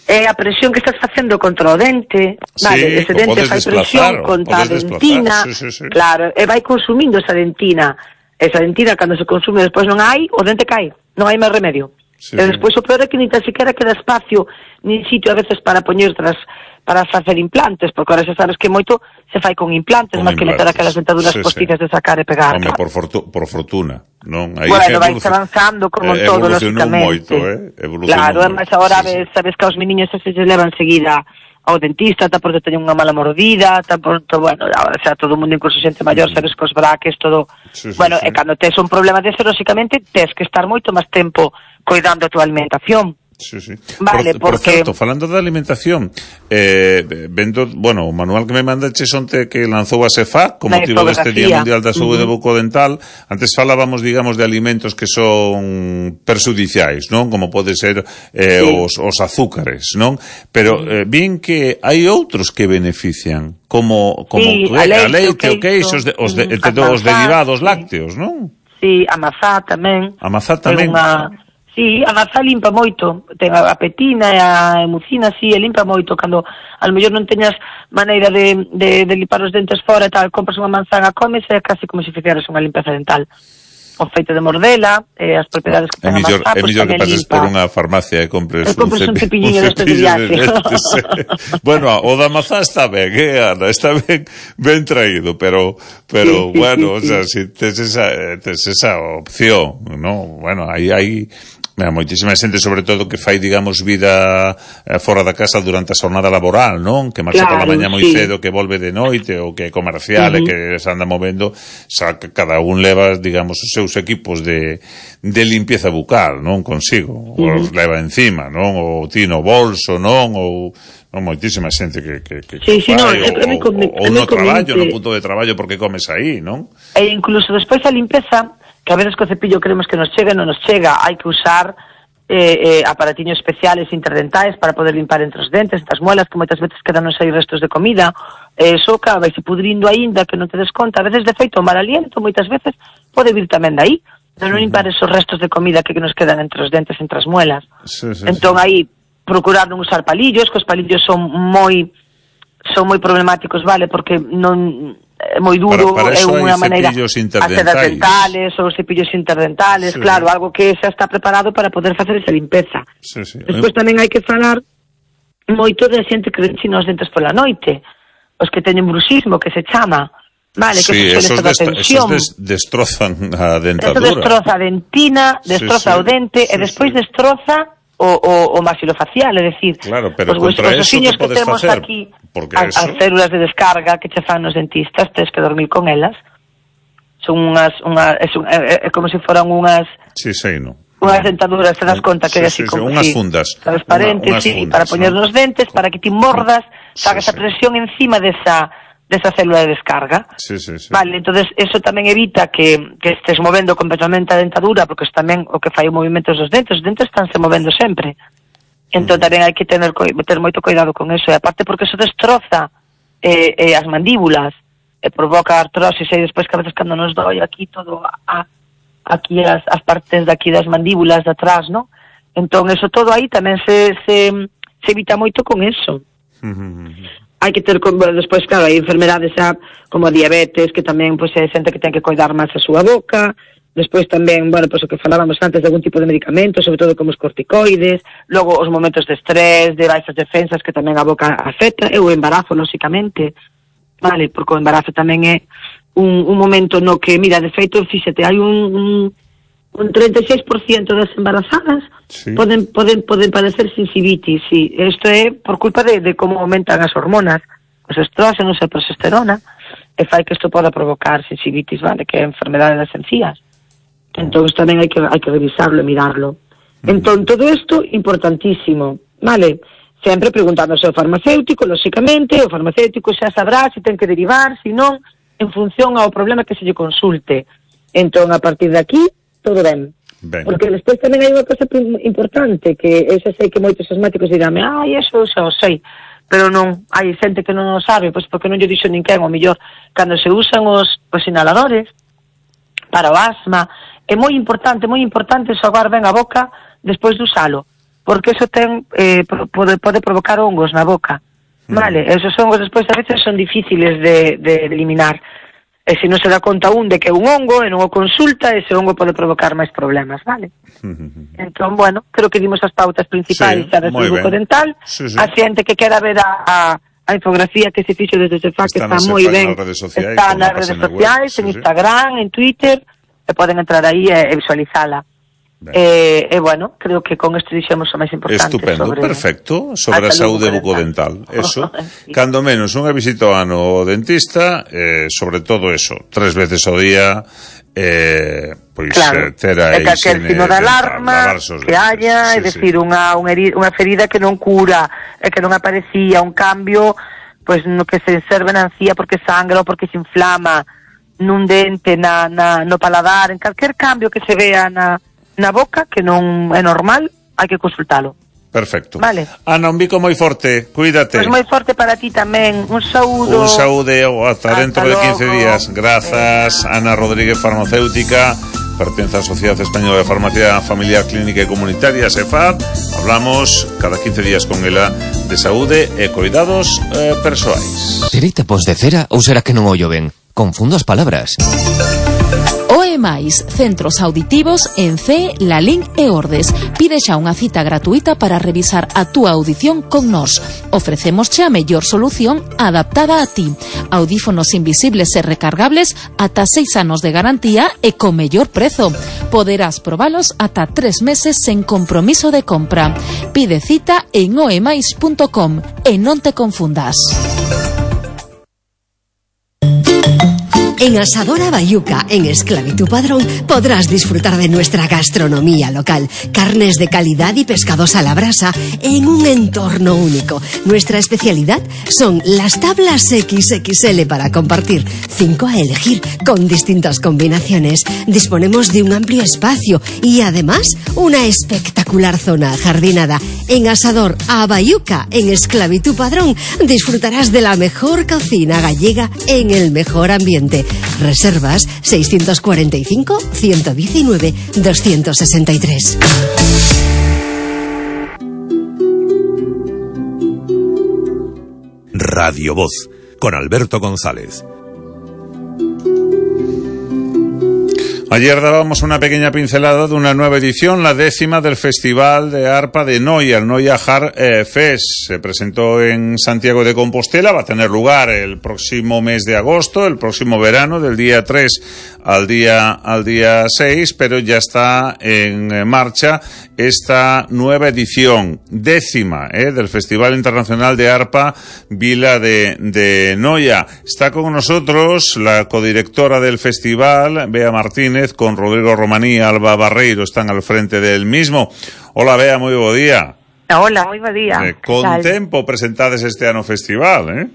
É a presión que estás facendo contra o dente, vale, sí, ese dente fai presión contra a dentina, sí, sí, sí. Claro, e vai consumindo esa dentina, esa dentina cando se consume despois non hai, o dente cae, non hai máis remedio. Sí, e despois o peor é que ni tan siquiera queda espacio, ni sitio a veces para poñer tras, para facer implantes, porque ahora xa sabes que moito se fai con implantes, máis que meter aquelas dentaduras sí, postizas sí. de sacar e pegar. Home, por, fortu por fortuna, non? Aí bueno, vai avanzando como eh, todo, lógicamente. Moito, eh? Claro, además agora sí, ves, sabes que aos meniños se se levan seguida ao dentista, tá porque teñen unha mala mordida, tá por, bueno, o sea, todo o mundo, incluso xente maior, mm. sabes que os braques, todo... Sí, sí, bueno, sí. E cando tes un problema dese, lógicamente, tes que estar moito máis tempo cuidando a tua alimentación. Sí, sí. Vale, por, porque... por certo, falando da alimentación, eh, vendo, bueno, o manual que me mandaches onte que lanzou a SEFA con motivo deste Día Mundial da Saúde uh -huh. bucodental, antes falábamos, digamos, de alimentos que son perxudiciais, non? Como pode ser eh, sí. os, os azúcares, non? Pero eh, bien que hai outros que benefician, como, como sí, que, a leite, a leite o queixo, os, de, os, de, uh -huh. os derivados sí. lácteos, non? Sí, a mazá tamén. A mazá tamén. Unha... Sí, a mazá limpa moito, ten a petina e a emucina, sí, e limpa moito, cando a lo mellor non teñas maneira de, de, de limpar os dentes fora e tal, compras unha manzana, comes, é casi como se fixeras unha limpeza dental. O feito de mordela, eh, as propiedades que ten a mazá, é mellor que pases por unha farmacia e compres, e compres un, un cepilliño destes de viaxe. Bueno, o da mazá está ben, eh, Ana, está ben, ben traído, pero, pero sí, sí, bueno, sí, sí. O sea, si tes esa, tes esa opción, ¿no? Bueno, aí hai... Mira, moitísima xente, sobre todo, que fai, digamos, vida eh, fora da casa durante a xornada laboral, non? Que marcha claro, pola mañá moi sí. cedo, que volve de noite, ou que é comercial, uh -huh. e que se anda movendo, xa que cada un leva, digamos, os seus equipos de, de limpieza bucal, non? Consigo, uh -huh. os leva encima, non? Ou tino bolso, non? Ou... non, moitísima xente que, que, que, sí, que sí, fai, no, ou, ou, ou no traballo, no punto de traballo, porque comes aí, non? E incluso despois a limpeza, que a veces co cepillo creemos que nos chega e non nos chega, hai que usar eh, eh, aparatiños especiales interdentais para poder limpar entre os dentes, entre as muelas, que moitas veces quedan aí restos de comida, eh, eso acaba vai se pudrindo aínda que non te des conta, a veces de feito o mal aliento moitas veces pode vir tamén de aí, de non limpar esos restos de comida que, que nos quedan entre os dentes, entre as muelas. Sí, sí, entón sí. aí procurar non usar palillos, que os palillos son moi son moi problemáticos, vale, porque non é moi duro, para, para é unha maneira as sedas dentales ou cepillos interdentales, sí. Claro, algo que xa está preparado para poder facer esa limpeza. Sí, sí. Despois tamén hai que falar moito de xente que enchina os dentes pola noite, os que teñen bruxismo, que se chama, vale, que sí, se suele esos, esos des, destrozan a dentadura. Eso destroza a dentina, destroza sí, sí. o dente, sí, e despois sí. destroza o, o, o maxilofacial, é dicir, claro, pero os contra eso que podes que temos facer, aquí, as, as células de descarga que che fan nos dentistas, tens que dormir con elas, son unhas, unha, é, é, é como se foran unhas... Sí, sí, no. Unhas dentaduras, te das conta que é sí, así sí, como... Sí, unhas sí, fundas. Transparentes, una, sí, fundas, para poñer ¿no? nos dentes, para que ti mordas, sí, faga esa sí. presión encima desa... desa célula de descarga. Sí, sí, sí. Vale, entonces eso tamén evita que, que estés movendo completamente a dentadura, porque es tamén o que fai o movimento dos dentes, os dentes estánse movendo sempre. Entón mm. tamén hai que tener, ter moito cuidado con eso, e aparte porque eso destroza eh, eh, as mandíbulas, e provoca artrosis, e despois que a veces cando nos doi aquí todo a, a aquí as, as partes de aquí das mandíbulas de atrás, ¿no? Entón eso todo aí tamén se, se, se evita moito con eso. Mm-hmm. Hai que ter, bueno, despois, claro, hai enfermedades xa, como a diabetes, que tamén, pois, é xente que ten que cuidar máis a súa boca, despois tamén, bueno, pois, o que falábamos antes de algún tipo de medicamentos, sobre todo como os corticoides, logo os momentos de estrés, de baixas defensas, que tamén a boca afecta, e o embarazo, lóxicamente, vale, porque o embarazo tamén é un, un momento no que, mira, de feito, fíxate, hai un... un un treinta e seis por ciento das embarazadas sí. poden, poden, poden padecer sensibitis, sí. Isto é por culpa de, de como aumentan as hormonas, os estrógenos e a progesterona, e fai que isto poda provocar sensibitis, vale, que é a enfermedade das encías. Entón tamén hai que, hai que revisarlo e mirarlo. Entón, todo isto, importantísimo, vale? Sempre preguntándose ao farmacéutico, lóxicamente, o farmacéutico xa sabrá se ten que derivar, se non, en función ao problema que se lle consulte. Entón, a partir de aquí, todo ben. Ben. Porque despois tamén hai unha cosa importante, que eu xa sei que moitos asmáticos dirame, ai, eso xa o sei, pero non, hai xente que non o sabe, pois porque non lle dixo ninguén, o mellor, cando se usan os, os inhaladores para o asma, é moi importante, moi importante xogar ben a boca despois de usalo, porque eso ten eh, pode, pode provocar hongos na boca, vale? Mm. Esos hongos despois a veces son difíciles de, de eliminar, e se non se dá conta un de que é un hongo e non o consulta, ese hongo pode provocar máis problemas, vale? Mm-hmm. Entón, bueno, creo que dimos as pautas principais xa sí, do bucodental, sí, sí. A xente que quera ver a, a, a infografía que se fixo desde o Cefac, que está moi ben, está nas redes sociais, en Instagram, en Twitter, e poden entrar aí e, e visualizala. E, eh, eh, bueno, creo que con isto dixemos o máis importante. Estupendo, sobre perfecto, sobre a, a saúde bucodental. Eso, sí. Cando menos unha visita ao ano ao dentista, eh, sobre todo eso, tres veces ao día, eh, pois claro. eh, ter a higiene que el sino de alarma que haya, é sí, dicir, sí. unha, unha ferida que non cura, e que non aparecía, un cambio, pois no que se serve na encía porque sangra ou porque se inflama, nun dente, na, na, no paladar, en calquer cambio que se vea na na boca, que non é normal, hai que consultalo. Perfecto. Vale. Ana, un bico moi forte, cuídate. Pois moi forte para ti tamén, un saúdo. Un saúde, ata dentro de quince días. Grazas, eh. Ana Rodríguez, farmacéutica, pertence á Sociedade Española de Farmacia Familiar Clínica e Comunitaria, SEFAP. Hablamos cada quince días con ela de saúde e cuidados eh, persoais. Serei tapos de cera ou será que non ollo ben? Confundo as palabras. O E máis, centros auditivos en C, Lalín e Ordes. Pide xa unha cita gratuita para revisar a túa audición con nós. Ofrecémosche a mellor solución adaptada a ti. Audífonos invisibles e recargables ata seis anos de garantía e co mellor prezo. Poderás probalos ata tres meses sen compromiso de compra. Pide cita en oemais punto com e non te confundas. En Asadora Bayuca, en Esclavitud Padrón, podrás disfrutar de nuestra gastronomía local. Carnes de calidad y pescados a la brasa en un entorno único. Nuestra especialidad son las tablas equis equis ele para compartir. Cinco a elegir con distintas combinaciones. Disponemos de un amplio espacio y además una espectacular zona ajardinada. En Asador a Bayuca, en Esclavitud Padrón, disfrutarás de la mejor cocina gallega en el mejor ambiente. Reservas seiscientos cuarenta y cinco, ciento diecinueve, doscientos sesenta y tres. Radio Voz, con Alberto González. Ayer dábamos una pequeña pincelada de una nueva edición, la décima del Festival de Arpa de Noia, el Noia Har eh, Fest. Se presentó en Santiago de Compostela, va a tener lugar el próximo mes de agosto, el próximo verano, del día tres al día, al día seis, pero ya está en marcha esta nueva edición, décima, eh, del Festival Internacional de Arpa Vila de, de Noia. Está con nosotros la codirectora del festival, Bea Martínez, con Rodrigo Romaní e Alba Barreiro, están al frente del mismo. Hola, Bea, moi bo día. Hola, moi bo día. Eh, con tempo presentades este ano festival, eh?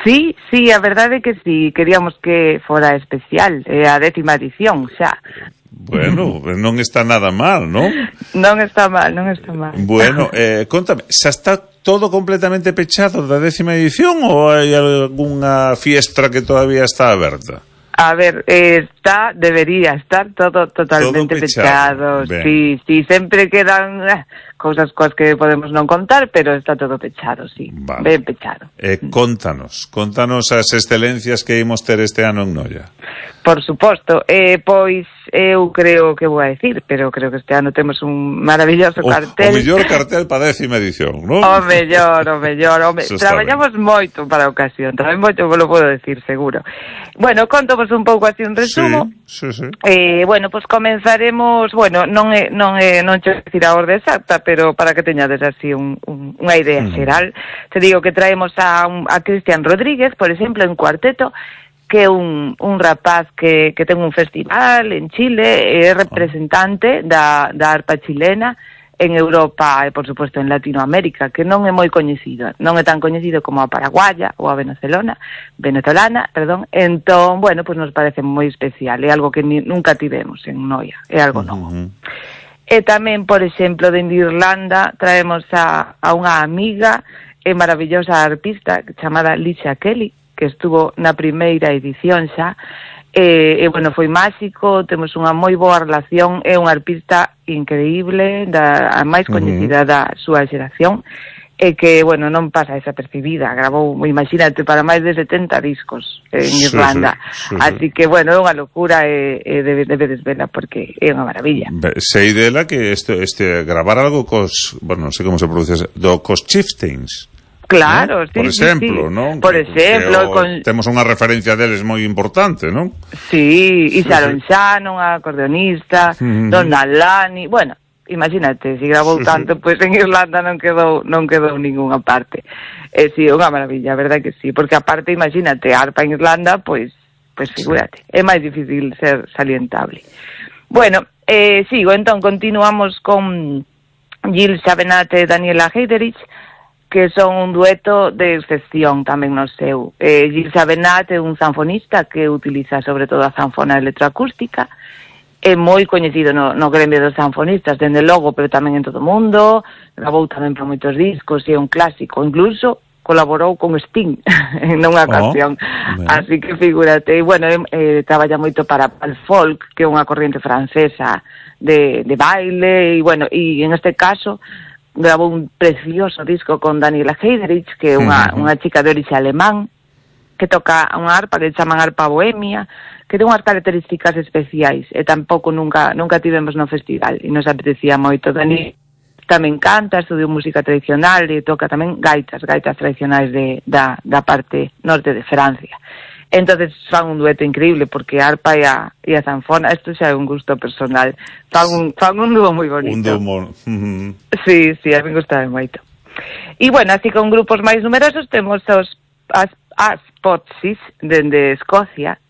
Sí, sí, a verdade é que sí, queríamos que fora especial, é a décima edición xa. Bueno, non está nada mal, ¿no? Non está mal, non está mal. Bueno, eh, contame, xa está todo completamente pechado da décima edición ou hai algunha fiestra que todavía está aberta? A ver, eh, está, debería estar todo totalmente todo pechado. pechado. Sí, sí, sempre quedan eh, cousas coas que podemos non contar, pero está todo pechado, sí, vale. Ben pechado. Eh, contanos, contanos as excelencias que imos ter este ano en Noia. Por suposto, eh, pois eu creo que vou a decir, pero creo que este ano temos un maravilloso o, cartel. O mellor cartel para a décima edición, non? O mellor, o mellor, o me... traballamos ben. moito para a ocasión, traballamos moito, vos lo podo decir, seguro. Bueno, contovos un pouco así un resumo. Sí, sí, sí. Eh, bueno, pois pues comenzaremos, bueno, non é non é non che decir a orde exacta, pero para que teñades así un, un, unha idea mm. xeral, te digo que traemos a, un, a Cristian Rodríguez, por exemplo, en cuarteto, que é un, un rapaz que, que ten un festival en Chile, é representante da, da arpa chilena, en Europa e, por suposto, en Latinoamérica, que non é moi coñecido, non é tan coñecido como a paraguaya ou a venezolana, venezolana, perdón, entón, bueno, pues nos parece moi especial, é algo que ni, nunca tivemos en Noia, é algo novo. Uh-huh. E tamén, por exemplo, dende Irlanda, traemos a, a unha amiga e maravillosa arpista chamada Licia Kelly, que estuvo na primeira edición xa, e, e bueno, foi máxico, temos unha moi boa relación, é unha arpista increíble, da, a máis coñecida uh-huh. da súa xeración, e que, bueno, non pasa desapercibida, gravou, imagínate, para máis de setenta discos en sí, Irlanda, sí, sí, así sí. que, bueno, é unha locura e, e debe, debedes vela porque é unha maravilla. Sei dela que este, este gravar algo cos, bueno, non sei como se pronuncia, do cos Chieftains. Claro, ¿no? sí, Por exemplo, sí, sí. non? Por exemplo, que, con... temos unha referencia deles moi importante, non? Sí, e Sharon Shannon, a acordeonista, uh-huh. Donna Lani, bueno, imagínate, se grabou sí, tanto, pois pues en Irlanda non quedou non quedou ningunha parte. Eh, si, sí, unha maravilla, a verdade que sí, porque aparte, imagínate, arpa en Irlanda, pois pues, pues figúrate, sí. é máis difícil ser salientable. Bueno, eh, sigo, entón, continuamos con Gil Savenat e Daniela Heiderich, que son un dueto de excepción tamén no seu. Eh, Gil Savenat é un zanfonista que utiliza sobre todo a zanfona electroacústica, é moi coñecido no, no gremio dos zanfonistas, dende logo, pero tamén en todo o mundo, gravou tamén para moitos discos, e é un clásico, incluso colaborou con Sting en unha ocasión, oh, así que figúrate, e bueno, eh, traballa moito para el folk, que é unha corriente francesa de, de baile, e bueno, e en este caso grabou un precioso disco con Daniela Heiderich, que é unha, uh-huh. unha chica de orixe alemán, que toca unha arpa que chaman arpa bohemia, que ten unhas características especiais, e tampouco nunca nunca tivemos no festival, e nos apetecía moito. Dani tamén canta, estudiou música tradicional, e toca tamén gaitas, gaitas tradicionais de, da, da parte norte de Francia. Entonces fan un dueto increíble, porque a arpa e a, e a zanfona, isto xa é un gusto personal, fan un, fan un dúo moi bonito. Un dúo moi... Uh-huh. Sí, sí, a mí gustaba moito. E bueno, así con grupos máis numerosos temos os as, as Potsis, dende Escocia,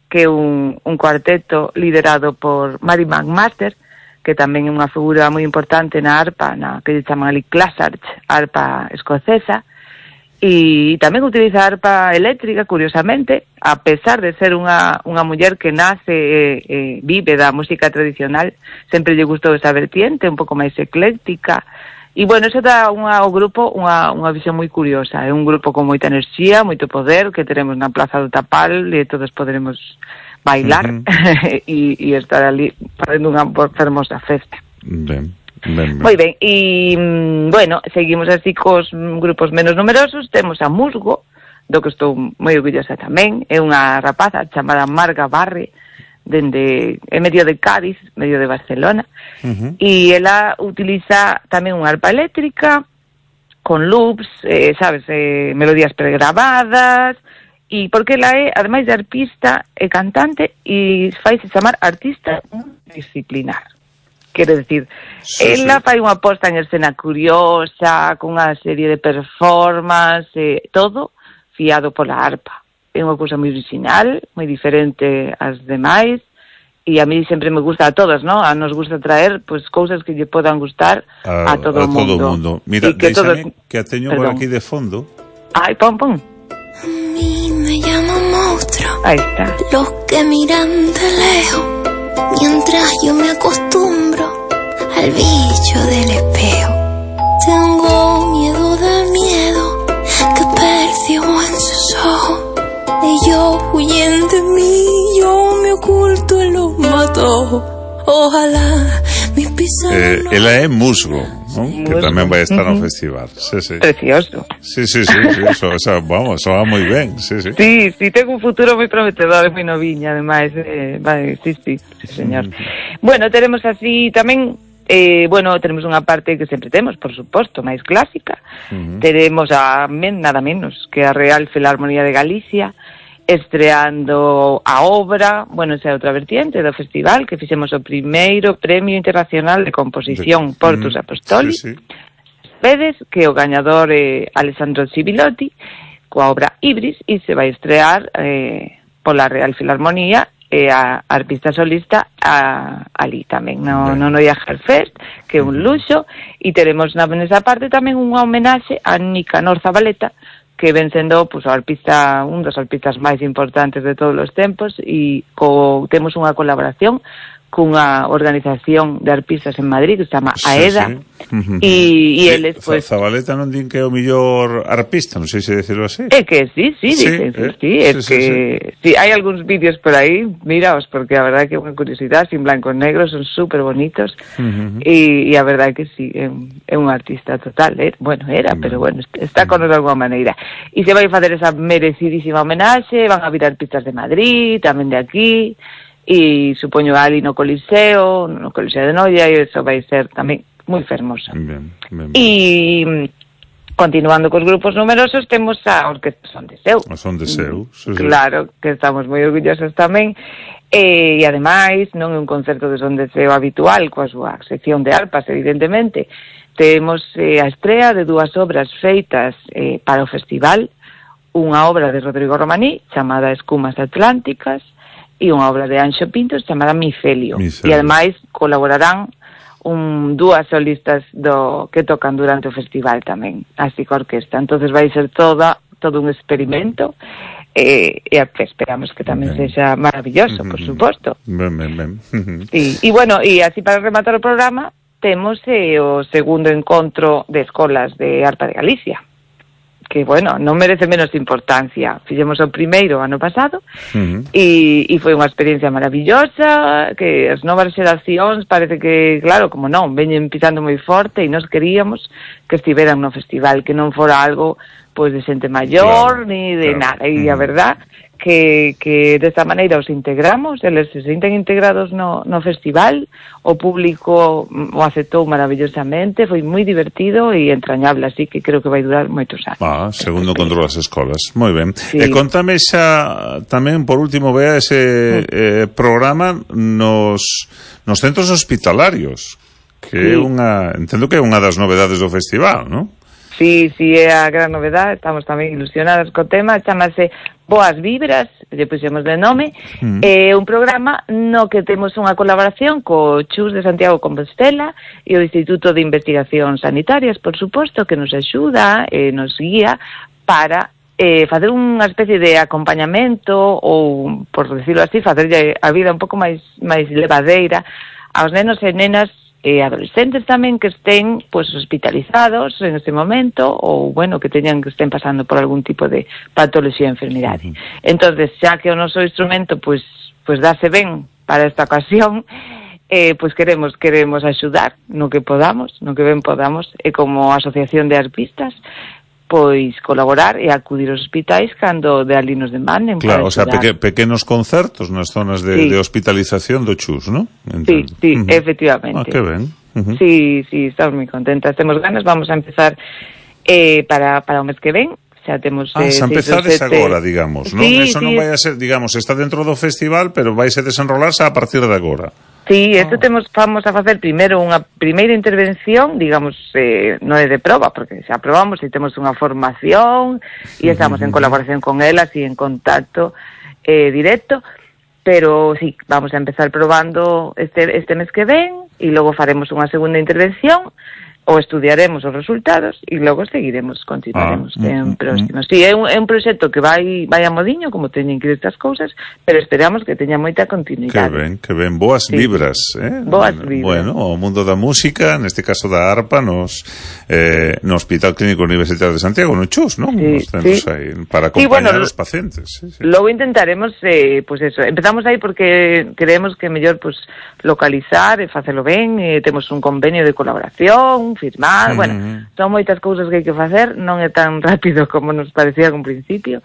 que é un, un cuarteto liderado por Mary McMaster, que tamén é unha figura moi importante na arpa, na que se chama ali Clasarch, arpa escocesa, e tamén utiliza arpa eléctrica, curiosamente, a pesar de ser unha, unha muller que nace e eh, vive da música tradicional, sempre lle gustou esa vertiente, un pouco máis ecléctica, e bueno, eso dá unha, ao grupo unha, unha visión moi curiosa, é un grupo con moita enerxía, moito poder, que teremos na Plaza do Tapal, e todos poderemos bailar e uh-huh. e estar ali facendo unha fermosa festa. Ben. Ben, ben. Moi ben, e, bueno, seguimos así cos grupos menos numerosos, temos a Musgo, do que estou moi orgullosa tamén, é unha rapaza chamada Marga Barre, dende, é medio de Cádiz, medio de Barcelona, uh-huh. e ela utiliza tamén unha arpa eléctrica, con loops, eh, sabes, eh, melodías pregravadas, e porque ela é, ademais de arpista, é cantante, e faise chamar artista disciplinar. Quero decir, sí, ela sí. fai unha posta en escena curiosa, con unha serie de performance, eh, todo fiado pola arpa. É unha cousa moi original, moi diferente ás demais, e a mí sempre me gusta a todas, ¿no? A nos gusta traer pues cousas que lle podan gustar a, a todo o mundo. todo mundo. Mira, que, todos... que a teño por aquí de fondo. Ay, pon, pon. A mí me llama monstruo. Ahí está. Los que miran de lejos, mientras yo me acostumbro al bicho del espejo. Tengo miedo del miedo que percibo en sus ojos. Ellos huyen de mí, yo me oculto en los matojos. Ojalá mis pisadas... Eh, ela é Musgo, ¿no? Que tamén vai estar no festival. Sí, sí. Precioso. Sí, sí, sí, sí. Eso, eso, vamos, eso va moi ben. Sí, sí. Sí, sí, ten un futuro moi prometedor, moi noviña, ademais. Eh, vale, sí, sí, sí, señor. Mm. Bueno, tenemos así tamén... Eh, bueno, tenemos unha parte que sempre temos, por suposto, máis clásica. Uh-huh. Tenemos a men, nada menos que a Real Filarmonía de Galicia estreando a obra, bueno, esa é outra vertiente do festival, que fixemos o primeiro Premio Internacional de Composición de... Portus uh-huh. Apostoli. Sí, sí. Vedes que o gañador é Alessandro Civilotti coa obra Ibris, e se vai estrear eh, pola Real Filarmonía e a arpista solista a, ali tamén no, no Noia Fest, que é un luxo, e teremos na nesa parte tamén unha homenaxe a Nicanor Zabaleta, que ven sendo pues, o arpista, un dos arpistas máis importantes de todos os tempos, e co, temos unha colaboración cunha organización de arpistas en Madrid que se chama sí, AEDA sí. Uh-huh. e, e sí, eles pues, Zabaleta non din que é o mellor arpista, non sei se decirlo así. É que sí, sí, sí, dicen, eh? sí, é sí, que sí, sí. sí, hai algúns vídeos por aí, miraos, porque a verdade é que é unha curiosidade, sin blanco e negro, son super bonitos, uh-huh. e, e a verdade é que sí, é un, é un artista total, eh? bueno, era, uh-huh. pero bueno, está con nos de alguma maneira. E se vai facer esa merecidísima homenaxe, van a vir arpistas de Madrid, tamén de aquí, e supoño ali no Coliseo, no Coliseo de Noia, e eso vai ser tamén moi fermoso. Bien, bien, bien. E continuando cos grupos numerosos, temos a Orquesta Son de Seu. A Son de Seu, sí, sí. Claro, que estamos moi orgullosos tamén. E, e ademais, non é un concerto de Son de Seu habitual, coa súa sección de arpas, evidentemente. Temos eh, a estrea de dúas obras feitas eh, para o festival, unha obra de Rodrigo Romaní, chamada Escumas Atlánticas, e unha obra de Anxo Pintos chamada Micelio. Micelio. E ademais colaborarán un, dúas solistas do que tocan durante o festival tamén, así que orquesta. Entonces vai ser toda todo un experimento e, e esperamos que tamén ben. sexa maravilloso, uh-huh. por suposto. Ben, ben, ben. Uh-huh. E, e bueno, e así para rematar o programa temos eh, o segundo encontro de escolas de Arpa de Galicia, que, bueno, non merece menos importancia. Fixemos o primeiro ano pasado uh-huh. e, e foi unha experiencia maravillosa, que as novas xeracións parece que, claro, como non, veñen pisando moi forte e nos queríamos que estiveran no festival, que non fora algo pois de xente maior, claro, ni de claro. nada. E a verdad que, que desta maneira os integramos, eles se sinten integrados no, no festival, o público o aceptou maravillosamente, foi moi divertido e entrañable, así que creo que vai durar moitos anos. Ah, segundo control das escolas, moi ben. Sí. E contame xa tamén, por último, vea ese eh, programa nos, nos centros hospitalarios, que sí. é unha, entendo que é unha das novedades do festival, non? Sí, sí, é a gran novedade, estamos tamén ilusionadas co tema, chamase Boas Vibras, lle puxemos de nome, mm. é un programa no que temos unha colaboración co Chus de Santiago Compostela e o Instituto de Investigacións Sanitarias, por suposto, que nos axuda e nos guía para eh, facer unha especie de acompañamento ou, por decirlo así, facerlle a vida un pouco máis, máis levadeira aos nenos e nenas e adolescentes tamén que estén pues hospitalizados en este momento ou, bueno, que teñan que estén pasando por algún tipo de patoloxía ou enfermidade. Uh-huh. Entonces, xa que o noso instrumento pues pues dáse ben para esta ocasión, eh, pues queremos queremos axudar no que podamos, no que ben podamos, e como asociación de arpistas, pois colaborar e acudir aos hospitais cando de ali nos demanden. Claro, o sea, peque, pequenos concertos nas zonas de, sí. de hospitalización do Chus, ¿no? Sí, sí, uh-huh. efectivamente. Ah, que ben. Uh-huh. Sí, sí, estamos moi contentas, temos ganas, vamos a empezar eh, para, para o mes que ven. Xa temos ah, eh, xa empezades agora, digamos, non? Sí, Eso sí, non vai a ser, digamos, está dentro do festival, pero vai a desenrolarse a partir de agora. Sí, isto temos, vamos a facer primeiro unha primeira intervención, digamos, eh, non é de proba, porque xa probamos e temos unha formación e estamos en colaboración con elas e en contacto eh, directo, pero sí, vamos a empezar probando este, este mes que ven e logo faremos unha segunda intervención ou estudiaremos os resultados e logo seguiremos, continuaremos ah, en mm, próximos. Mm. Sí, é un, é un proxecto que vai vai a modiño, como teñen que ir estas cousas, pero esperamos que teña moita continuidade. Que ben, que ben, boas sí. vibras, eh? Boas vibras. Bueno, o mundo da música, neste caso da arpa, nos eh, no Hospital Clínico Universitario de Santiago, no Chus, non? Sí, nos centros sí. aí, para acompañar sí, bueno, os pacientes. Sí, sí. Logo intentaremos, eh, pues eso, empezamos aí porque creemos que é mellor pues, localizar e facelo ben, e temos un convenio de colaboración, firmar, uh-huh. bueno, son moitas cousas que hai que facer, non é tan rápido como nos parecía en un principio,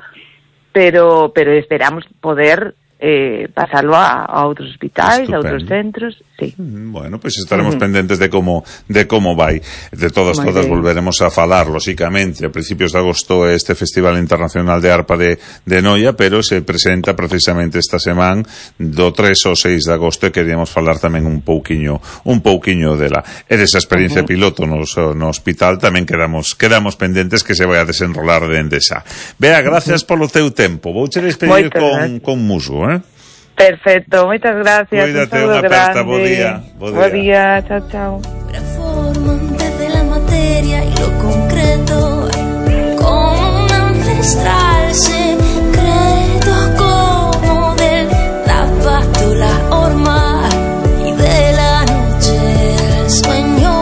pero pero esperamos poder eh, pasarlo a, a outros hospitais, Estupendo. a outros centros, sí. Bueno, pois pues estaremos uh-huh. pendentes de como de como vai. De todas Muy todas bien. volveremos a falar, lóxicamente, a principios de agosto este Festival Internacional de Arpa de, de Noia, pero se presenta precisamente esta semana do tres ao seis de agosto e queríamos falar tamén un pouquiño un pouquiño dela. E desa experiencia uh-huh. piloto no, no hospital tamén quedamos quedamos pendentes que se vai a desenrolar dende xa. Bea, gracias uh-huh. polo teu tempo. Vouche despedir con, con musgo, eh? Perfecto, moitas gracias. Cuídate, un unha aperta, bo grande. día. Bo Bo día. día, chao, chao. Desde la materia y lo concreto, como un ancestral secreto, como del zapato la horma y de la noche el sueño.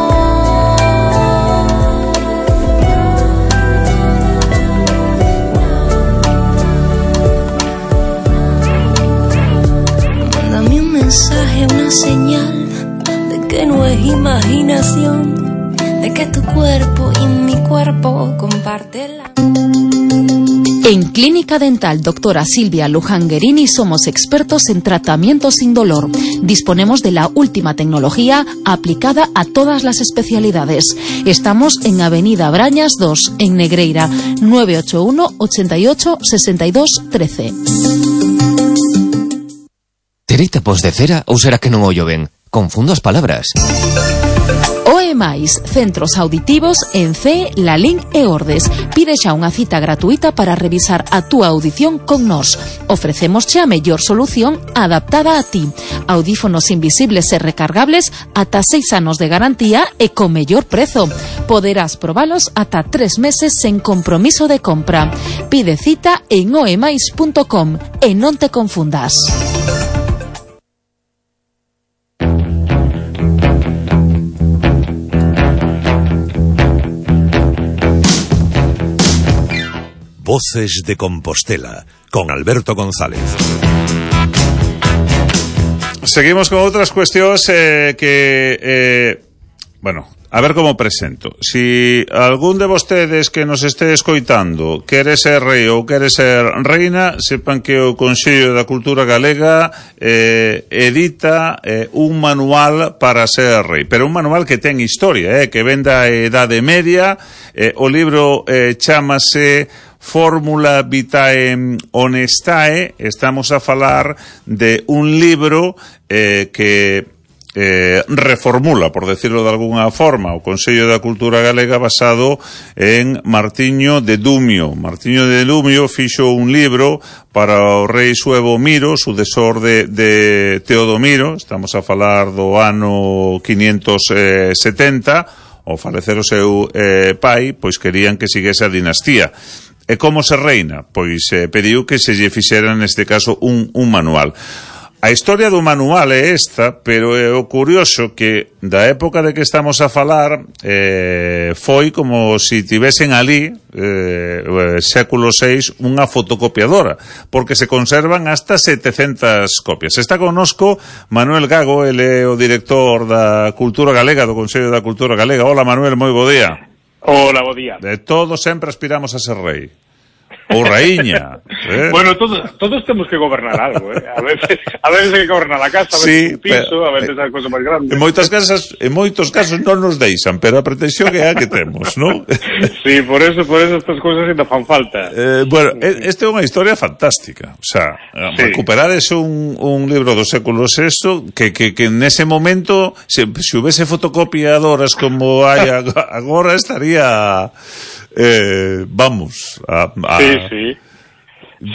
Mándame un mensaje, una señal que no es imaginación, de que tu cuerpo y mi cuerpo comparten la... En Clínica Dental Doctora Silvia Luján Guerini somos expertos en tratamiento sin dolor. Disponemos de la última tecnología aplicada a todas las especialidades. Estamos en Avenida Brañas dos, en Negreira, nueve ocho uno, ochenta y ocho, sesenta y dos, trece. Terei tapos de cera ou será que non ollo ben? Confundo as palabras. O E máis, centros auditivos en C, Lalín e Ordes. Pide xa unha cita gratuita para revisar a túa audición con nós. Ofrecémosche a mellor solución adaptada a ti. Audífonos invisibles e recargables ata seis anos de garantía e co mellor prezo. Poderás probalos ata tres meses sen compromiso de compra. Pide cita en oemais punto com e non te confundas. Voces de Compostela, con Alberto González. Seguimos con outras cuestións eh, que, eh, bueno, a ver como presento. Si algún de vostedes que nos este escoitando quere ser rei ou quere ser reina, sepan que o Consello da Cultura Galega eh, edita eh, un manual para ser rei, pero un manual que ten historia, eh, que ven da Edade Media. Eh, o libro eh, chámase Fórmula Vitae Honestae. Estamos a falar de un libro eh, que eh, reformula, por decirlo de alguna forma, o Consello da Cultura Galega basado en Martiño de Dumio. Martiño de Dumio fixo un libro para o rei Suevo Miro, sucesor de, de Teodomiro. Estamos a falar do ano quinientos setenta. Ao falecer o seu eh, pai, pois querían que seguese a dinastía. E como se reina? Pois eh, pediu que se lle fixera neste caso un, un manual. A historia do manual é esta, pero é o curioso que da época de que estamos a falar eh, foi como si tivesen ali eh, século seis unha fotocopiadora, porque se conservan hasta setecentas copias. Está connosco Manuel Gago, ele é o director da Cultura Galega, do Consello da Cultura Galega. Hola Manuel, moi bo día. Hola, bo día. De todos sempre aspiramos a ser rei. Ou raíña. ¿Eh? Bueno, todos, todos temos que gobernar algo, ¿eh? A veces, a veces hay que gobernar a casa, a veces sí, un piso, pero, a veces hai cosas máis grandes. En moitas casas, en moitos casos non nos deixan, pero a pretensión é a que temos, ¿no? Sí, por eso, por eso estas cousas ainda fan falta. Eh, bueno, esta é unha historia fantástica. O sea, sí. Recuperar ese un, un libro do século sexto que, que, que nese momento, se, se houvese fotocopiadoras como hai agora, estaría... Eh, vamos a, a... Sí, sí.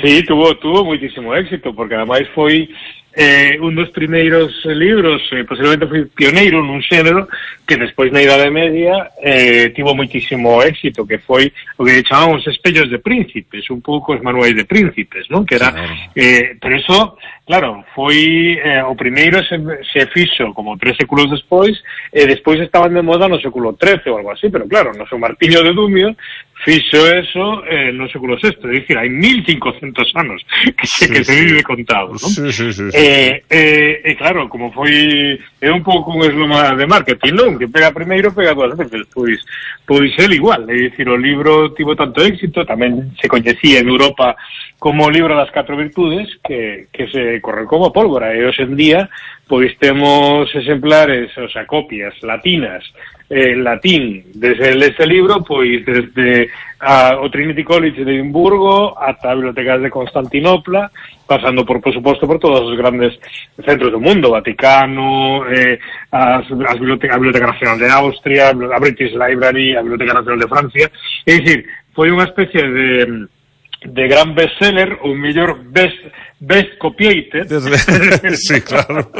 Sí, tuvo tuvo muitísimo éxito, porque ademais foi eh, un dos primeiros libros, eh, posiblemente foi pioneiro nun xénero que despois na Idade Media eh, tivo muitísimo éxito, que foi o que chamamos espellos de príncipes, un pouco os manuais de príncipes, non? Que era, claro. eh, pero eso, claro, foi eh, o primeiro se, se fixo como tres séculos despois, e despois estaban de moda no século trece ou algo así, pero claro, no seu Martiño de Dumio fixo eso eh, no século sexto, é dicir, hai mil cincocentos anos que, sí, que se vive contado, non? Sí, sí, sí, sí. Eh, eh, e claro, como foi é un pouco un esloma de marketing, non? Que pega primeiro, pega dúas veces, pois pois el igual, é dicir, o libro tivo tanto éxito, tamén se coñecía en Europa como o libro das catro virtudes, que, que se corre como pólvora, e hoxe en día pois temos exemplares, o sea, copias latinas en latín desde este libro, pois desde a, o Trinity College de Edimburgo ata a Bibliotecas de Constantinopla, pasando por, por suposto, por todos os grandes centros do mundo, Vaticano, eh, as, as biblioteca, a Biblioteca Nacional de Austria, a British Library, a Biblioteca Nacional de Francia. É dicir, foi unha especie de de gran bestseller, o mellor best best copiated. Sí, claro.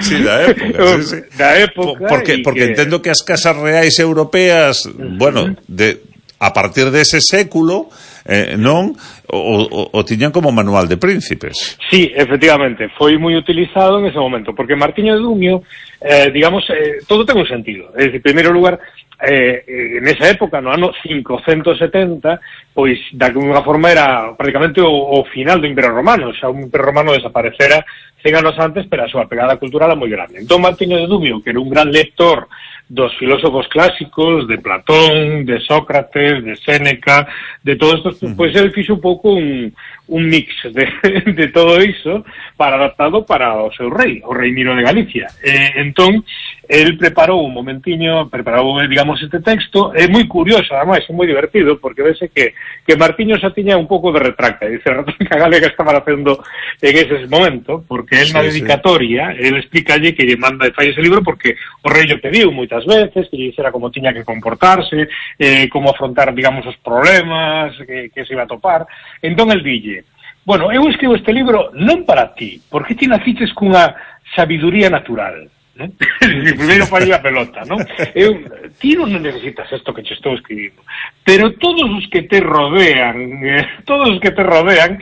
Sí, da época, sí, sí. Da época. Porque, porque que... entendo que as casas reais europeas, uh-huh. bueno, de, a partir dese século, eh, non, o, o, o tiñan como manual de príncipes. Sí, efectivamente, foi moi utilizado en ese momento, porque Martiño de Dumio, eh, digamos, eh, todo ten un sentido. É dicir, en primeiro lugar, eh, en esa época, no ano cincocentos setenta, pois, de alguna forma, era prácticamente o, o final do Imperio Romano, xa un Imperio Romano desaparecera cen anos antes, pero a súa pegada cultural era moi grande. Entón, Martiño de Dumio, que era un gran lector dos filósofos clásicos, de Platón, de Sócrates, de Séneca, de todos estos, uh-huh. pois el fixo un pouco un, un mix de, de todo iso para adaptado para o seu rei, o rei Miro de Galicia. Eh, entón, el preparou un momentiño, preparou, digamos, este texto, é moi curioso, ademais, é moi divertido, porque vese que, que Martiño xa tiña un pouco de retracta, dice, a retranca galega estaba facendo en ese momento, porque el sí, na dedicatoria, sí. el explícalle que lle manda e fai ese libro porque o rei lle pediu moitas veces, que lle dixera como tiña que comportarse, eh, como afrontar, digamos, os problemas que, que se iba a topar. Entón el dille, bueno, eu escribo este libro non para ti, porque ti naciches cunha sabiduría natural, ¿no? Primeiro fai a pelota, ¿no? Eu, ti non necesitas isto que che estou escribindo, pero todos os que te rodean, eh, todos os que te rodean,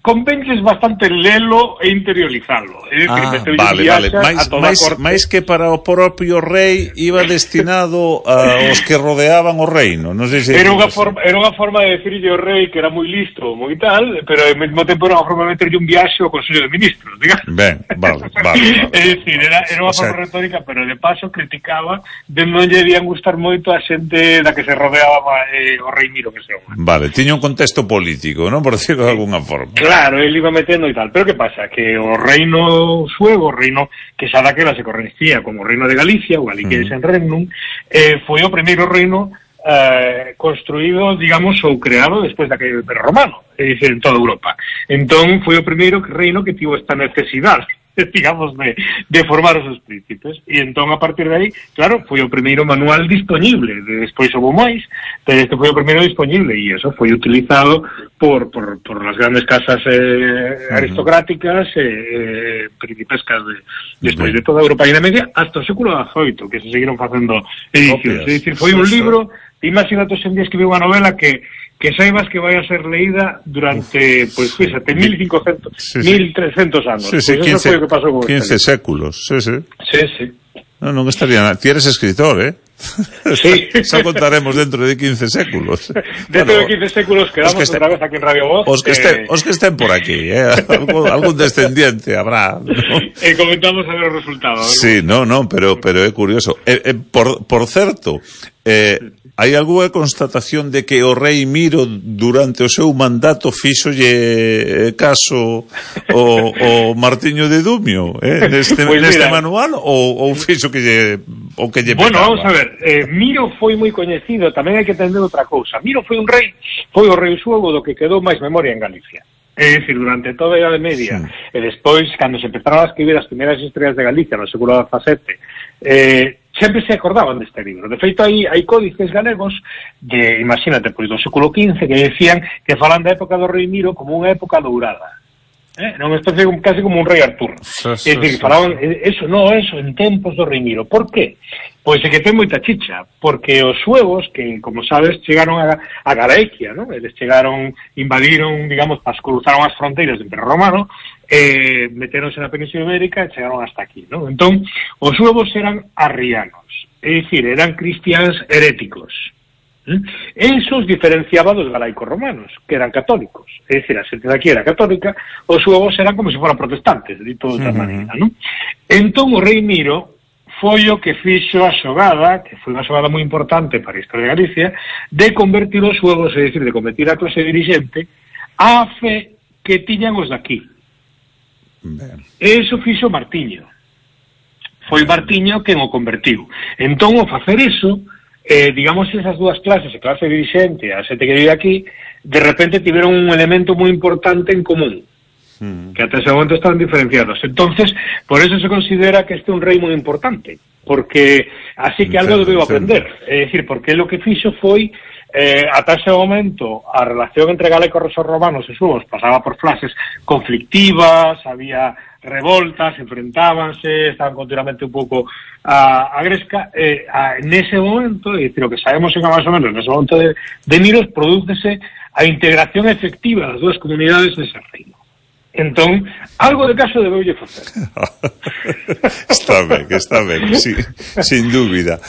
convences bastante lelo e interiorizalo. É dicir, ah, vale, vale. Mais, máis, máis que para o propio rei iba destinado a os que rodeaban o reino. Non sei se era unha forma, era unha forma de decirlle ao rei que era moi listo, moi tal, pero ao mesmo tempo era unha forma de meterlle un viaxe ao Consello de Ministros, digamos. Ben, vale, vale. vale. É dicir, era, era unha o forma sea... retórica, pero de paso criticaba de non lle debían gustar moito a xente da que se rodeaba eh, o rei Miro, que se chama. Vale, tiña un contexto político, non? Por decirlo de alguna forma. Claro, él iba metendo e tal, pero que pasa? Que o reino suevo, o reino que xa daquela se coñecía como o reino de Galicia, o Galiqueis en Regnum, eh, foi o primeiro reino eh, construído, digamos, ou creado despois daquele Imperio Romano, é dicir, en toda Europa. Entón, foi o primeiro reino que tivo esta necesidade, digamos, de, de formar os seus príncipes. E entón, a partir de aí, claro, foi o primeiro manual disponible. De, despois houve máis, pero este foi o primeiro disponible, e eso foi utilizado por, por, por las grandes casas eh, aristocráticas e eh, principescas de, despois de toda a Europa e na media, hasta o século dezoito, que se seguiron facendo edicións. É dicir, foi un libro, imagínate hoxe en día escribir unha novela que que saibas que vai a ser leída durante, pois, pues, fíxate, mil cincocentos, sí, sí. mil trescentos anos. Sí, sí, pues quince, eso foi o que pasou con quince séculos, sí, sí. Sí, sí. No, non estaría nada. Ti eres escritor, eh? Sí. Xa contaremos dentro de quince séculos. Dentro bueno, de quince séculos quedamos este, outra vez aquí en Radio Voz. Os que, eh... estén, os que estén por aquí, eh? algún, algún descendiente habrá, ¿no? E comentamos a ver os resultados. Sí, no, no, pero, pero é curioso. Eh, eh, por, por certo, eh, hai algunha constatación de que o rei Miro durante o seu mandato fíxolle caso o, o Martiño de Dumio, eh, neste, pues neste mira, manual, ou, ou fixo que lle, o que lle bueno, pecaba? Vamos a ver, eh, Miro foi moi coñecido, tamén hai que entender outra cousa. Miro foi un rei, foi o rei suevo do que quedou máis memoria en Galicia. É dicir, durante toda a Idade Media, sí. E despois, cando se empezaron a escribir as primeiras historias de Galicia no século dezasete, eh, sempre se acordaban deste libro. De feito, hai, hai códices galegos de, imagínate, pois do século quince que decían que falan da época do rei Miro como unha época dourada. Eh? Non especie casi como un rei Artur. Sí, sí, é dicir, sí, falaban, sí. eso, no, eso, en tempos do rei Miro. Por qué? Pois é que ten moita chicha, porque os suevos, que, como sabes, chegaron a, a Galaequia, ¿no? Eles chegaron, invadiron, digamos, pas, cruzaron as fronteiras do Imperio Romano, eh, meteronse na Península Ibérica e chegaron hasta aquí, ¿no? Entón, os suevos eran arrianos, é dicir, eran cristiáns heréticos. ¿Mm? Esos diferenciaba dos galaicos romanos, que eran católicos, é dicir, a xente daqui era católica, os suevos eran como se foran protestantes, de toda outra uh-huh. maneira, ¿no? Entón, o rei Miro foi o que fixo a xogada, que foi unha xogada moi importante para a historia de Galicia, de convertir os suevos, é dicir, de convertir a clase dirigente á fe que tiñan os daqui. Ben. E iso fixo Martiño. Foi Martiño quen o convertiu. Entón, ao facer iso, eh, digamos, esas dúas clases, a clase dirigente e a xente que vive aquí, de repente tiveron un elemento moi importante en común, que ata ese momento estaban diferenciados. Entonces, por eso se considera que este é un rei moi importante, porque así que algo debeu aprender, é dicir, porque lo que fixo foi eh, ata ese momento a relación entre galegos e romanos e suevos pasaba por fases conflictivas, había revoltas, enfrentábanse, estaban continuamente un pouco a, a gresca, eh, a, nese momento, e dicir, o que sabemos en máis ou menos nese momento de, de Miros, prodúcese a integración efectiva das dúas comunidades nese reino. Entón, algo de caso debeulle facer. Está ben, está ben, sí, sin dúbida.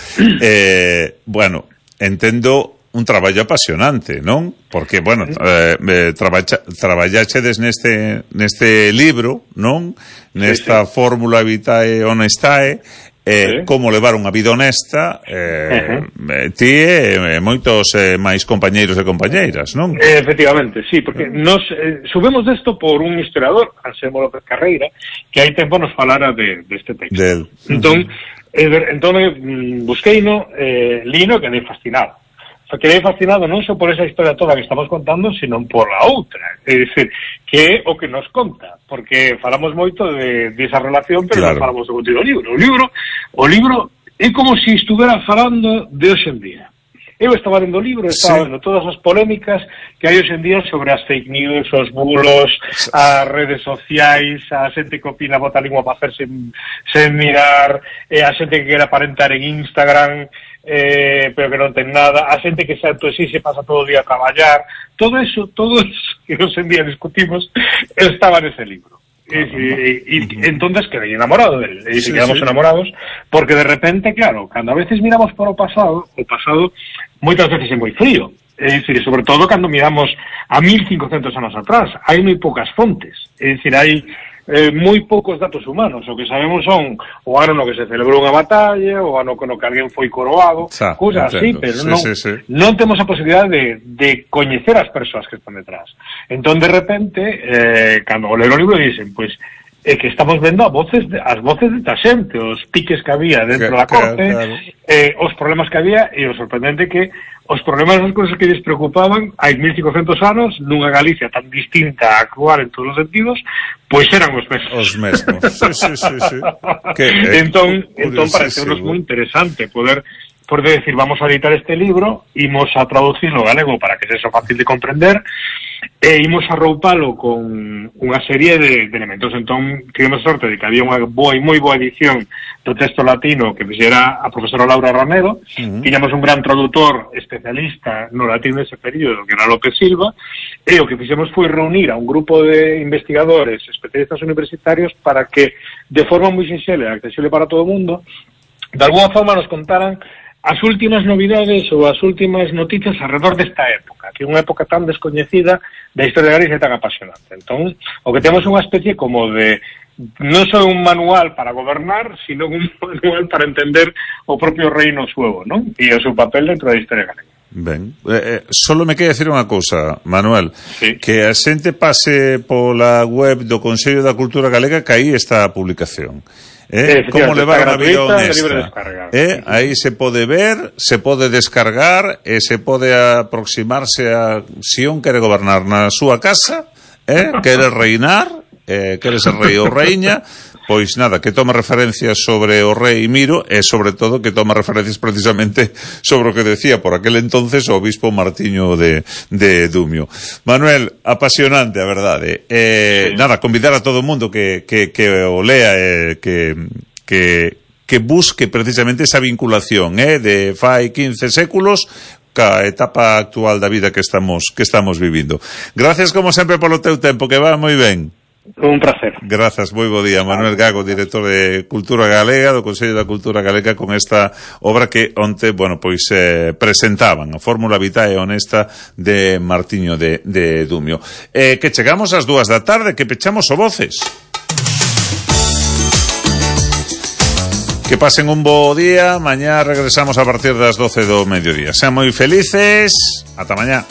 Eh, bueno, entendo un traballo apasionante, non? Porque, bueno, eh, eh, traballa, traballachedes neste, neste libro, non? Nesta sí, sí. Fórmula Vitae Honestae, eh, sí. Como levar unha vida honesta, eh, uh-huh. Ti e eh, moitos eh, máis compañeiros e compañeiras, non? Efectivamente, sí, porque nos eh, subimos desto por un historiador, Anselmo López Carreira, que hai tempo nos falara de, de este texto. Del. Entón, uh-huh. eh, entón eh, busqueino, eh, lino, que me fascinado. Quedei fascinado non só por esa historia toda que estamos contando, sino por a outra, é dicir, que é o que nos conta, porque falamos moito de, de esa relación, pero claro, non falamos do contido do libro. O libro, o libro é como se si estuvera falando de hoxe en día. Eu estaba lendo o libro, estaba sí. vendo todas as polémicas que hai hoxe en día sobre as fake news, os bulos, as redes sociais, a xente que opina bota a lingua para hacer sen, sen mirar, eh, a xente que quere aparentar en Instagram, eh, pero que non ten nada, a xente que se autoexixe pasa todo o día a traballar, todo eso, todo eso que hoxe en día discutimos, estaba nese libro. E, e, e entonces quedei enamorado dele, e sí, quedamos sí. enamorados, porque de repente, claro, cando a veces miramos para o pasado, o pasado moitas veces é moi frío, é dicir, sobre todo cando miramos a mil cincocentos anos atrás, hai moi poucas fontes, é dicir, hai eh, moi poucos datos humanos, o que sabemos son o ano no que se celebrou unha batalla, o ano no que alguén foi coroado, cousas así, pero sí, non, sí, sí. non temos a posibilidade de, de coñecer as persoas que están detrás. Entón, de repente, eh, cando o leer o libro dicen, pois, é que estamos vendo a voces de, as voces de ta xente, os piques que había dentro que, da corte, claro, claro. Eh, os problemas que había, e o sorprendente que os problemas das cousas que lles preocupaban hai mil cincocentos anos, nunha Galicia tan distinta a actual en todos os sentidos, pois eran os mesmos. Os mesmos, sí, sí, sí, sí. Que, eh, entón, entón parecenos moi interesante poder poder decir, vamos a editar este libro, imos a traducirlo galego para que sexa fácil de comprender, e imos a roupalo con unha serie de, de elementos. Entón, tivemos sorte de que había unha boa e moi boa edición do texto latino que fixera a profesora Laura Ranedo, uh-huh. Tiñamos un gran traductor especialista no latino dese período, que era López Silva, e o que fixemos foi reunir a un grupo de investigadores especialistas universitarios para que, de forma moi sinxela e accesible para todo o mundo, de alguna forma nos contaran as últimas novidades ou as últimas noticias alrededor desta época, que é unha época tan descoñecida da historia de Galicia tan apasionante. Entón, o que temos é unha especie como de, non só un manual para gobernar, sino un manual para entender o propio reino suevo, non? E o seu papel dentro da historia galega. Ben, eh, solo me queda decir unha cousa, Manuel, sí. Que a xente pase pola web do Consello da Cultura Galega, que aí está a publicación. Eh, como levar unha vida honesta, eh, aí se pode ver, se pode descargar e se pode aproximarse a si un quere gobernar na súa casa, eh, quere reinar, eh, quere ser rei ou reiña, pois nada, que tome referencias sobre o rei Miro e sobre todo que tome referencias precisamente sobre o que decía por aquel entonces o obispo Martiño de, de Dumio. Manuel, apasionante, a verdade. Eh, sí. Nada, convidar a todo o mundo que, que, que o lea, eh, que, que, que busque precisamente esa vinculación eh, de fai quince séculos ca etapa actual da vida que estamos, que estamos vivindo. Gracias como sempre polo teu tempo, que va moi ben. Un placer. Grazas, moi bo día. Manuel Gago, director de Cultura Galega, do Consello da Cultura Galega, con esta obra que onte, bueno, pois eh, presentaban, a Fórmula Vitae Honesta de Martiño de, de Dumio. Eh, que chegamos ás dúas da tarde, que pechamos o Voces. Que pasen un bo día, mañá regresamos a partir das doce do mediodía. Sean moi felices, ata mañá.